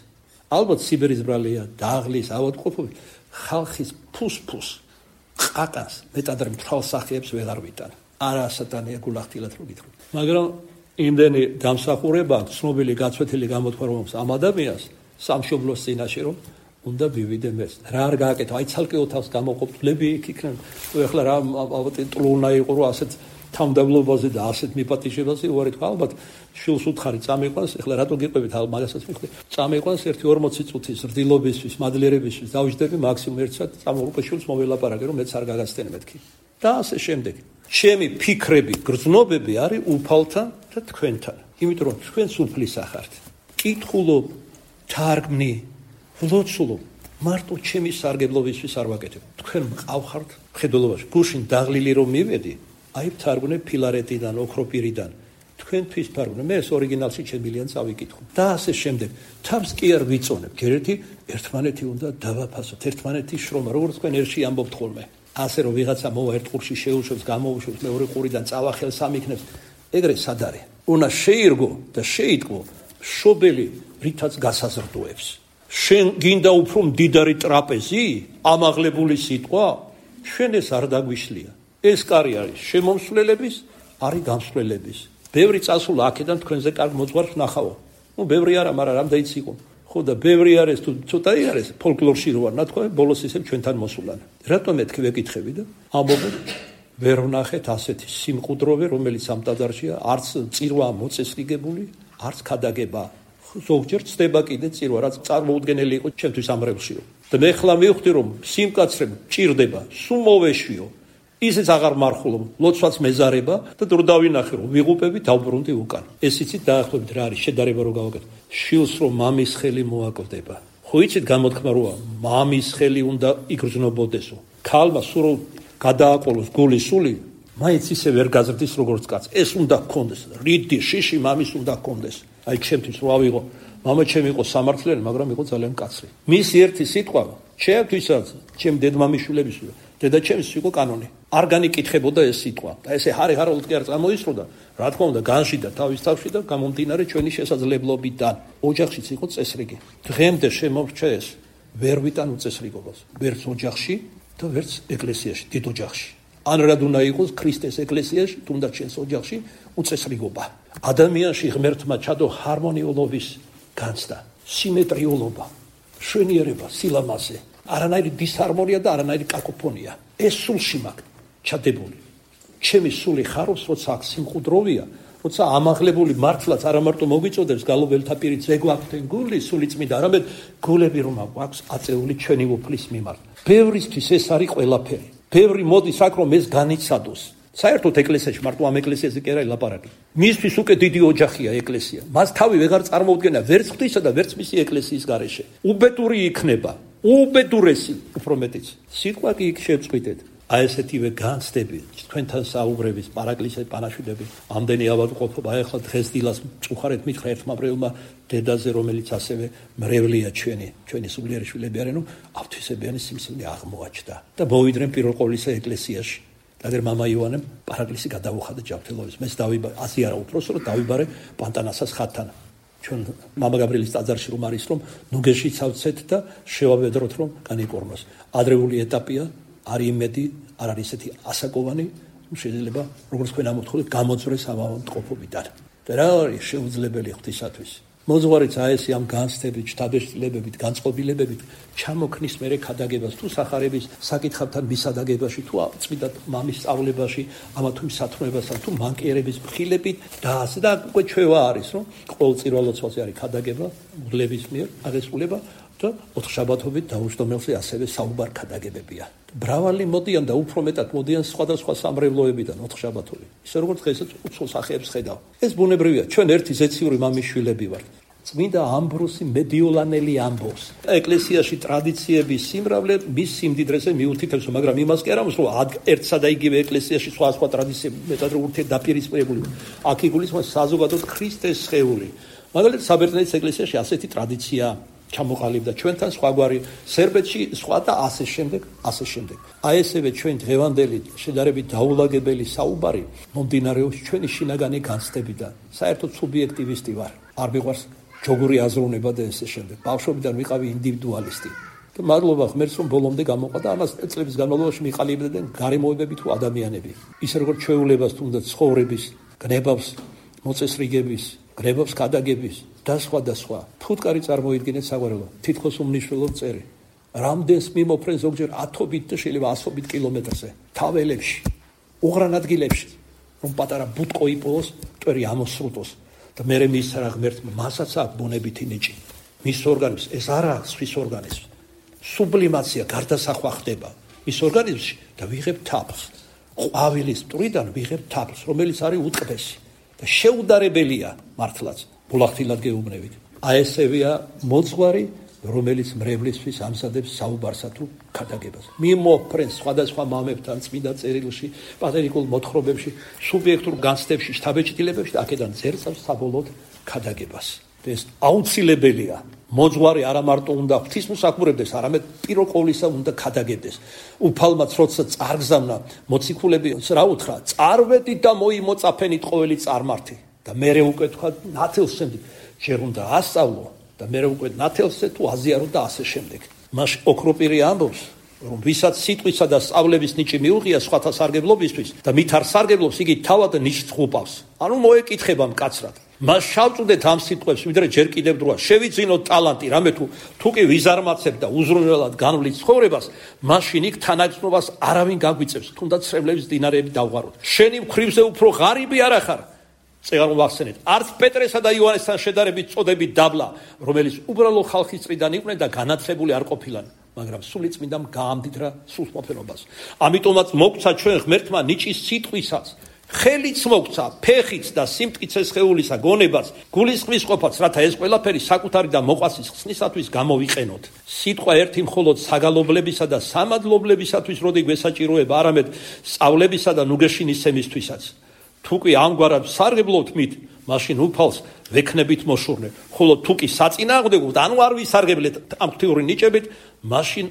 ალბათ სიბერის ბრალია, დაღლის, ავადმყოფობით, ხალხის ფუს-ფუს, ყაკას, მეტად მთელ სახეებს ვეღარ ვიტან. არა სატანია გულახდილად რო გითხრით. მაგრამ იმდენი დამსახურება აქვს, ცნობილი გაცვეთილი გამოთქვა რომ ამ ადამიანს სამშობლოს წინაშე რომ უნდა ვივიდე მეც. რა არ გააკეთო, აი ცალკეო თავს გამოყოფლები იქ იქნებ. ეხლა რა ალბათ ტლუნა იყო რომ ასეთ თავმდაბლობაზე და ასეთ მიპატიჟებაზე უარი თქვა, ალბათ შვილს უთხარი წამიყვანს, ეხლა რატო გიყვებით მაგასაც მიხდი, წამიყვანს 1-40 წუთის რძილობისთვის, მადლიერებისთვის დავიждები მაქსიმუმ 1 საათი, წამოუყე შვილს მოველაპარაკე, რომ მეც არ გაგაცდენ მეთქი. და ასე შემდეგ. ჩემი ფიქრები, გრძნობები არის უფალთან და თქვენთან. იმიტომ რომ თქვენ სულფლისა ხართ. კითხულობ, თარგმნი, ვლოცულობ, მარტო ჩემი სარგებლობისთვის არ ვაკეთებ. თქვენ მყავხართ მხედველობაში. გუშინ დაღლილი რომ მივედი, აი თარგმნე ფილარეტიდან, ოქროპირიდან. თქვენთვის თარგმნე, მე ეს ორიგინალში შემილიან წავიკითხო. და ასე შემდეგ. თავს კი არ ვიწონებ. გერეთი ერთმანეთი უნდა დავაფასოთ. ერთმანეთის შრომა, როგორც თქვენ ერთში ამბობთ ხოლმე. ასე რომ ვიღაცა მოვა ერთ ყურში შეუშვებს, გამოუშვებს, მეორე ყურიდან წავახელს ამიქნებს. ეგრე სად არის? უნდა შეირგო და შეიტყო შობელი რითაც გასაზრდოებს. შენ გინდა უფრო მდიდარი ტრაპეზი, ამაღლებული სიტყვა? შენ ეს არ დაგვიშლია. ეს კარი არის შემომსვლელების, არის გამსვლელების. ბევრი წასულა აქედან თქვენზე კარგ მოძღვარს ნახავ. ბევრი არა, მაგრამ რამდენიც იყო. ხო და ბევრი არის თუ ცოტა არის ფოლკლორში რო არ ნათქვა, ბოლოს ისევ ჩვენთან მოსულან. რატომ მეთქი ვეკითხები და ამბობენ ვერ ვნახეთ ასეთი სიმყუდროვე, რომელიც ამ ტაძარშია, არც წირვა მოწესრიგებული, არც ქადაგება. ზოგჯერ ცდება კიდე წირვა, რაც წარმოუდგენელი იყო ჩემთვის ამ რევსიო. და მე ხლა მივხვდი რომ სიმკაცრე ჭირდება, სულ მოვეშვიო. ისიც აღარ მარხულობ, ლოცვაც მეზარება და დრო დავინახე რომ ვიღუპები დავბრუნდი უკან. ეს იცით დაახლოებით რა არის შედარება რო გავაკეთო. შილს რომ მამის ხელი მოაკლდება. ხო იცით გამოთქმა როა, მამის ხელი უნდა იგრძნობოდესო. ქალმა სულ გადააყოლოს გული სული, მაინც ისე ვერ გაზრდის როგორც კაც. ეს უნდა გქონდეს. რიდი შიში მამის უნდა გქონდეს. აი ჩემთვის რო ავიღო, მამა ჩემი იყო სამართლიანი, მაგრამ იყო ძალიან კაცრი. მისი ერთი სიტყვა, ჩემთვისაც, ჩემ დედმამიშვილების, დედა ჩემს იყო კანონი. არ განიკითხებოდა ეს სიტყვა. და ესე ჰარი-ჰაროლოდ კი არ წამოისროდა, რა თქმა უნდა, განშიდა თავის თავში და გამომდინარე ჩვენი შესაძლებლობიდან. ოჯახშიც იყო წესრიგი. დღემდე შემორჩა ეს, ვერ ვიტან უწესრიგობას. ვერც ოჯახში და ვერც ეკლესიაში, დიდ ოჯახში. ან რად უნდა იყოს ქრისტეს ეკლესიაში, თუნდაც ჩვენს ოჯახში უწესრიგობა. ადამიანში ღმერთმა ჩადო ჰარმონიულობის განცდა, სიმეტრიულობა, შვენიერება, სილამაზე, არანაირი დისჰარმონია და არანაირი კაკოფონია. ეს სულში მაქვს ჩადებული. ჩემი სული ხარობს, როცა აქ სიმყუდროვია, როცა ამაღლებული მართლაც არა მარტო მოგვიწოდებს გალობელთა პირით ზეგვაქვთ გული, სული წმინდა, არამედ გულები რომ აქვს აწეული ჩვენი უფლის მიმართ. ბევრისთვის ეს არის ყველაფერი. ბევრი მოდის აქ რომ ეს განიცადოს. საერთოდ ეკლესიაში მარტო ამ ეკლესიაზე კი არა ლაპარაკი. მისთვის უკვე დიდი ოჯახია ეკლესია. მას თავი ვეღარ წარმოუდგენა ვერც ღვთისა და ვერც მისი ეკლესიის გარეშე. უბედური იქნება, უბედურესი, უფრო მეტიც. სიტყვა კი იქ შეწყვიტეთ. აი ესეთივე განცდები, თქვენთან საუბრების, პარაკლისე პანაშვიდები, ამდენი ავადმყოფობა, აი ახლა დღეს დილას წუხარეთ მითხრა ერთმა მრევლმა დედაზე, რომელიც ასევე მრევლია ჩვენი სულიერი შვილები არიან, რომ ავთვისებიანი სიმსივნე აღმოაჩნდა და მოვიდნენ პირველ ყოვლისა ეკლესიაში. და მამა იოანემ პარაკლისი გადაუხადა ჯანმრთელობის. მეც დავიბარე, ასე არა უფროსო, რომ დავიბარე პანტანასას ხატთან. ჩვენ მამა გაბრიელის ტაძარში რომ არის, რომ ნუგეში ცავცეთ და შევავედროთ, რომ განიკორნოს. ადრეული ეტაპია, არის იმედი, არ არის ესეთი ასაკოვანი, შეიძლება, როგორც თქვენ ამოთხოვეთ, გამოძვრეს ამ ავადმყოფობიდან. და რა არის შეუძლებელი ღვთისათვის? მოძღვარიც აესი ამ განცდებით, შთაბეჭდილებებით, განწყობილებებით ჩამოქნის მერე ქადაგებას თუ სახარების საკითხებთან მისადაგებაში, თუ წმინდა მამის სწავლებაში, ამა თუ სათქმეებასთან, თუ მანკიერების მხილებით და ასე და უკვე ჩვევა არის, რომ ყოველწირვა ლოცვაზე არის ქადაგება, მღვდლების მიერ აღესრულება და ოთხშაბათობით დაუჯდომელზე ასევე საუბარ ქადაგებებია. მრავალი მოდიან და უფრო მეტად მოდიან სხვადასხვა სამრევლოებიდან ოთხშაბათობით. ისე როგორც დღესაც უცხო სახეებს ხედავ. ეს ბუნებრივია. ჩვენ ერთი ზეციური მამიშვილები ვართ. წმინდა ამბროსი მედიოლანელი ამბობს. ეკლესიაში ტრადიციების სიმრავლე მის სიმდიდრეზე მიუთითებს, მაგრამ იმას კი არ ამბობს, რომ ერთსა და იგივე ეკლესიაში სხვა ტრადიციები მეტად ურთიერთდაპირისპირებული. აქ იგულისხმება საზოგადოდ ქრისტეს სხეული. მაგალითად, საბერძნეთის ეკლესიაში ასეთი ტრადიცია ჩამოყალიბდა ჩვენთან სხვაგვარი, სერბეთში სხვა და ასე შემდეგ. აი ესევე ჩვენ დღევანდელი შედარებით დაულაგებელი საუბარი მომდინარეობს ჩვენი შინაგანი განცდებიდან. საერთოდ სუბიექტივისტი ვარ. არ მიყვარს ჯოგური აზროვნება და ესე შემდეგ. ბავშვობიდან ვიყავი ინდივიდუალისტი. და მადლობა ღმერთს რომ ბოლომდე გამოყვა და ამას წლების განმავლობაში მიყალიბებდნენ გარემოებები თუ ადამიანები. ისე როგორც ჩვეულებას თუნდაც ცხოვრების, გნებავს, მოწესრიგების, გნებავს ქადაგების და სხვა. ფუტკარი წარმოიდგინეთ საგვარეულო, თითქოს უმნიშვნელო წერი. რამდენს მიმოფრენ ზოგჯერ 10-ობით და შეიძლება 100-ობით კილომეტრზე, თაველებში, უღრან ადგილებში. რომ პატარა ბუტყო იპოვოს, მტვერი ამოსრუტოს და მერე მის რა ღმერთმა მასაც აქვს ბუნებითი ნიჭი. მის ორგანიზმს ეს არ აქვს ხვის ორგანიზმს. სუბლიმაცია გარდასახვა ხდება მის ორგანიზმში და ვიღებ თაფლს. ყვავილის მტვრიდან ვიღებ თაფლს, რომელიც არის უტყდესი და შეუდარებელია მართლაც. ბულახtildeად გეუბნებით. აი ესევია მოძღვარი, რომელიც მრევლისთვის ამზადებს საუბარსა თუ ქადაგებას. მიმოფრენს სხვადასხვა მამებთან წმინდა წერილში, პატერიკულ მოთხრობებში, სუბიექტურ განცდებში, შთაბეჭდილებებში და აქედან ზერწავს საბოლოოდ ქადაგებას. ეს აუცილებელია. მოძღვარი არა მარტო უნდა ღვთისმსახურებდეს, არამედ პირველ ყოვლისა უნდა ქადაგებდეს. უფალმაც როცა წარგზავნა მოციქულები რა უთხრა, წარვედით და მოიმოწაფენით ყოველი წარმართი და მერე უკვე თქვა ნათელსემდე ჯერ უნდა ასწავლო და მერე უკვე ნათელსე თუ აზიარო და ასე შემდეგ. მაშ ოქროპირი ამბობს, რომ ვისაც სიტყვისა და სწავლების ნიჭი მიუღია სხვათა სარგებლობისთვის და მით არ სარგებლობს, იგი თავად ნიშს ღუპავს. ანუ მოეკითხება მკაცრად. მას შავწუდეთ ამ სიტყვებს, ვიდრე ჯერ კიდევ დროა შევიძინოთ ტალანტი, რამე თუ კი ვიზარმაცებ და უზრუნველად განვლით ცხოვრებას, მაშინ იქ თანაგრძნობას არავინ გაგვიწევს, თუნდაც სრემლების დინარეები დავღაროთ. შენი მხრივზე უფრო ღარიბი არ ახარ. წეგანო ვახსენეთ, არც პეტრესა და იოანესთან შედარებით წოდებით დაბლა, რომელიც უბრალო ხალხის წრიდან იყვნენ და განათლებული არ ყოფილან, მაგრამ სული წმინდამ გაამდიდრა სულთმოფენობას. ამიტომაც მოგცა ჩვენ ღმერთმა ნიჭის სიტყვისაც, ხელიც მოგცა, ფეხიც და სიმტკიცეს ხეულისა გონებას, გულისხმის ყოფაც, რათა ეს ყველაფერი საკუთარი და მოყვასის ხსნისათვის გამოვიყენოთ. სიტყვა ერთი მხოლოდ საგალობლებისა და სამადლობლებისათვის როდი გვესაჭიროება, არამედ სწავლებისა და ნუგეშინისცემისთვისაც. თუ კი ამგვარად სარგებლობთ მით, მაშინ უფალს ვექნებით მოშურნე. ხოლო თუ კი საწინააღმდეგოთ, ანუ არ ვისარგებლეთ ამ ღვთიური ნიჭებით, მაშინ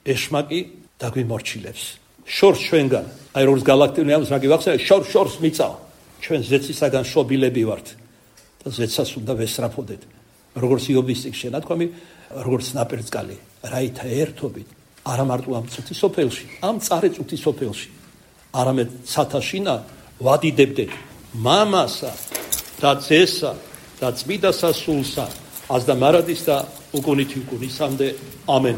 ეშმაკი დაგვიმორჩილებს. შორს ჩვენგან, აი როგორც გალაქტიონი ამს რა გივახსენე, შორს მიწავა. ჩვენ ზეცისაგან შობილები ვართ და ზეცას უნდა ვესწრაფოდეთ. როგორც იობის წიგნში ნათქვამი, როგორც ნაპირწყალი, რაითა ერთობით, არა მარტო ამ წუთისოფელში, ამ წარე წუთისოფელში, არამედ ცათაშინა ვადიდებდეთ მამასა და ძესა და წმიდა სასულსა, აზდა მარადის და უკუნითი უკუნისამდე. ამენ.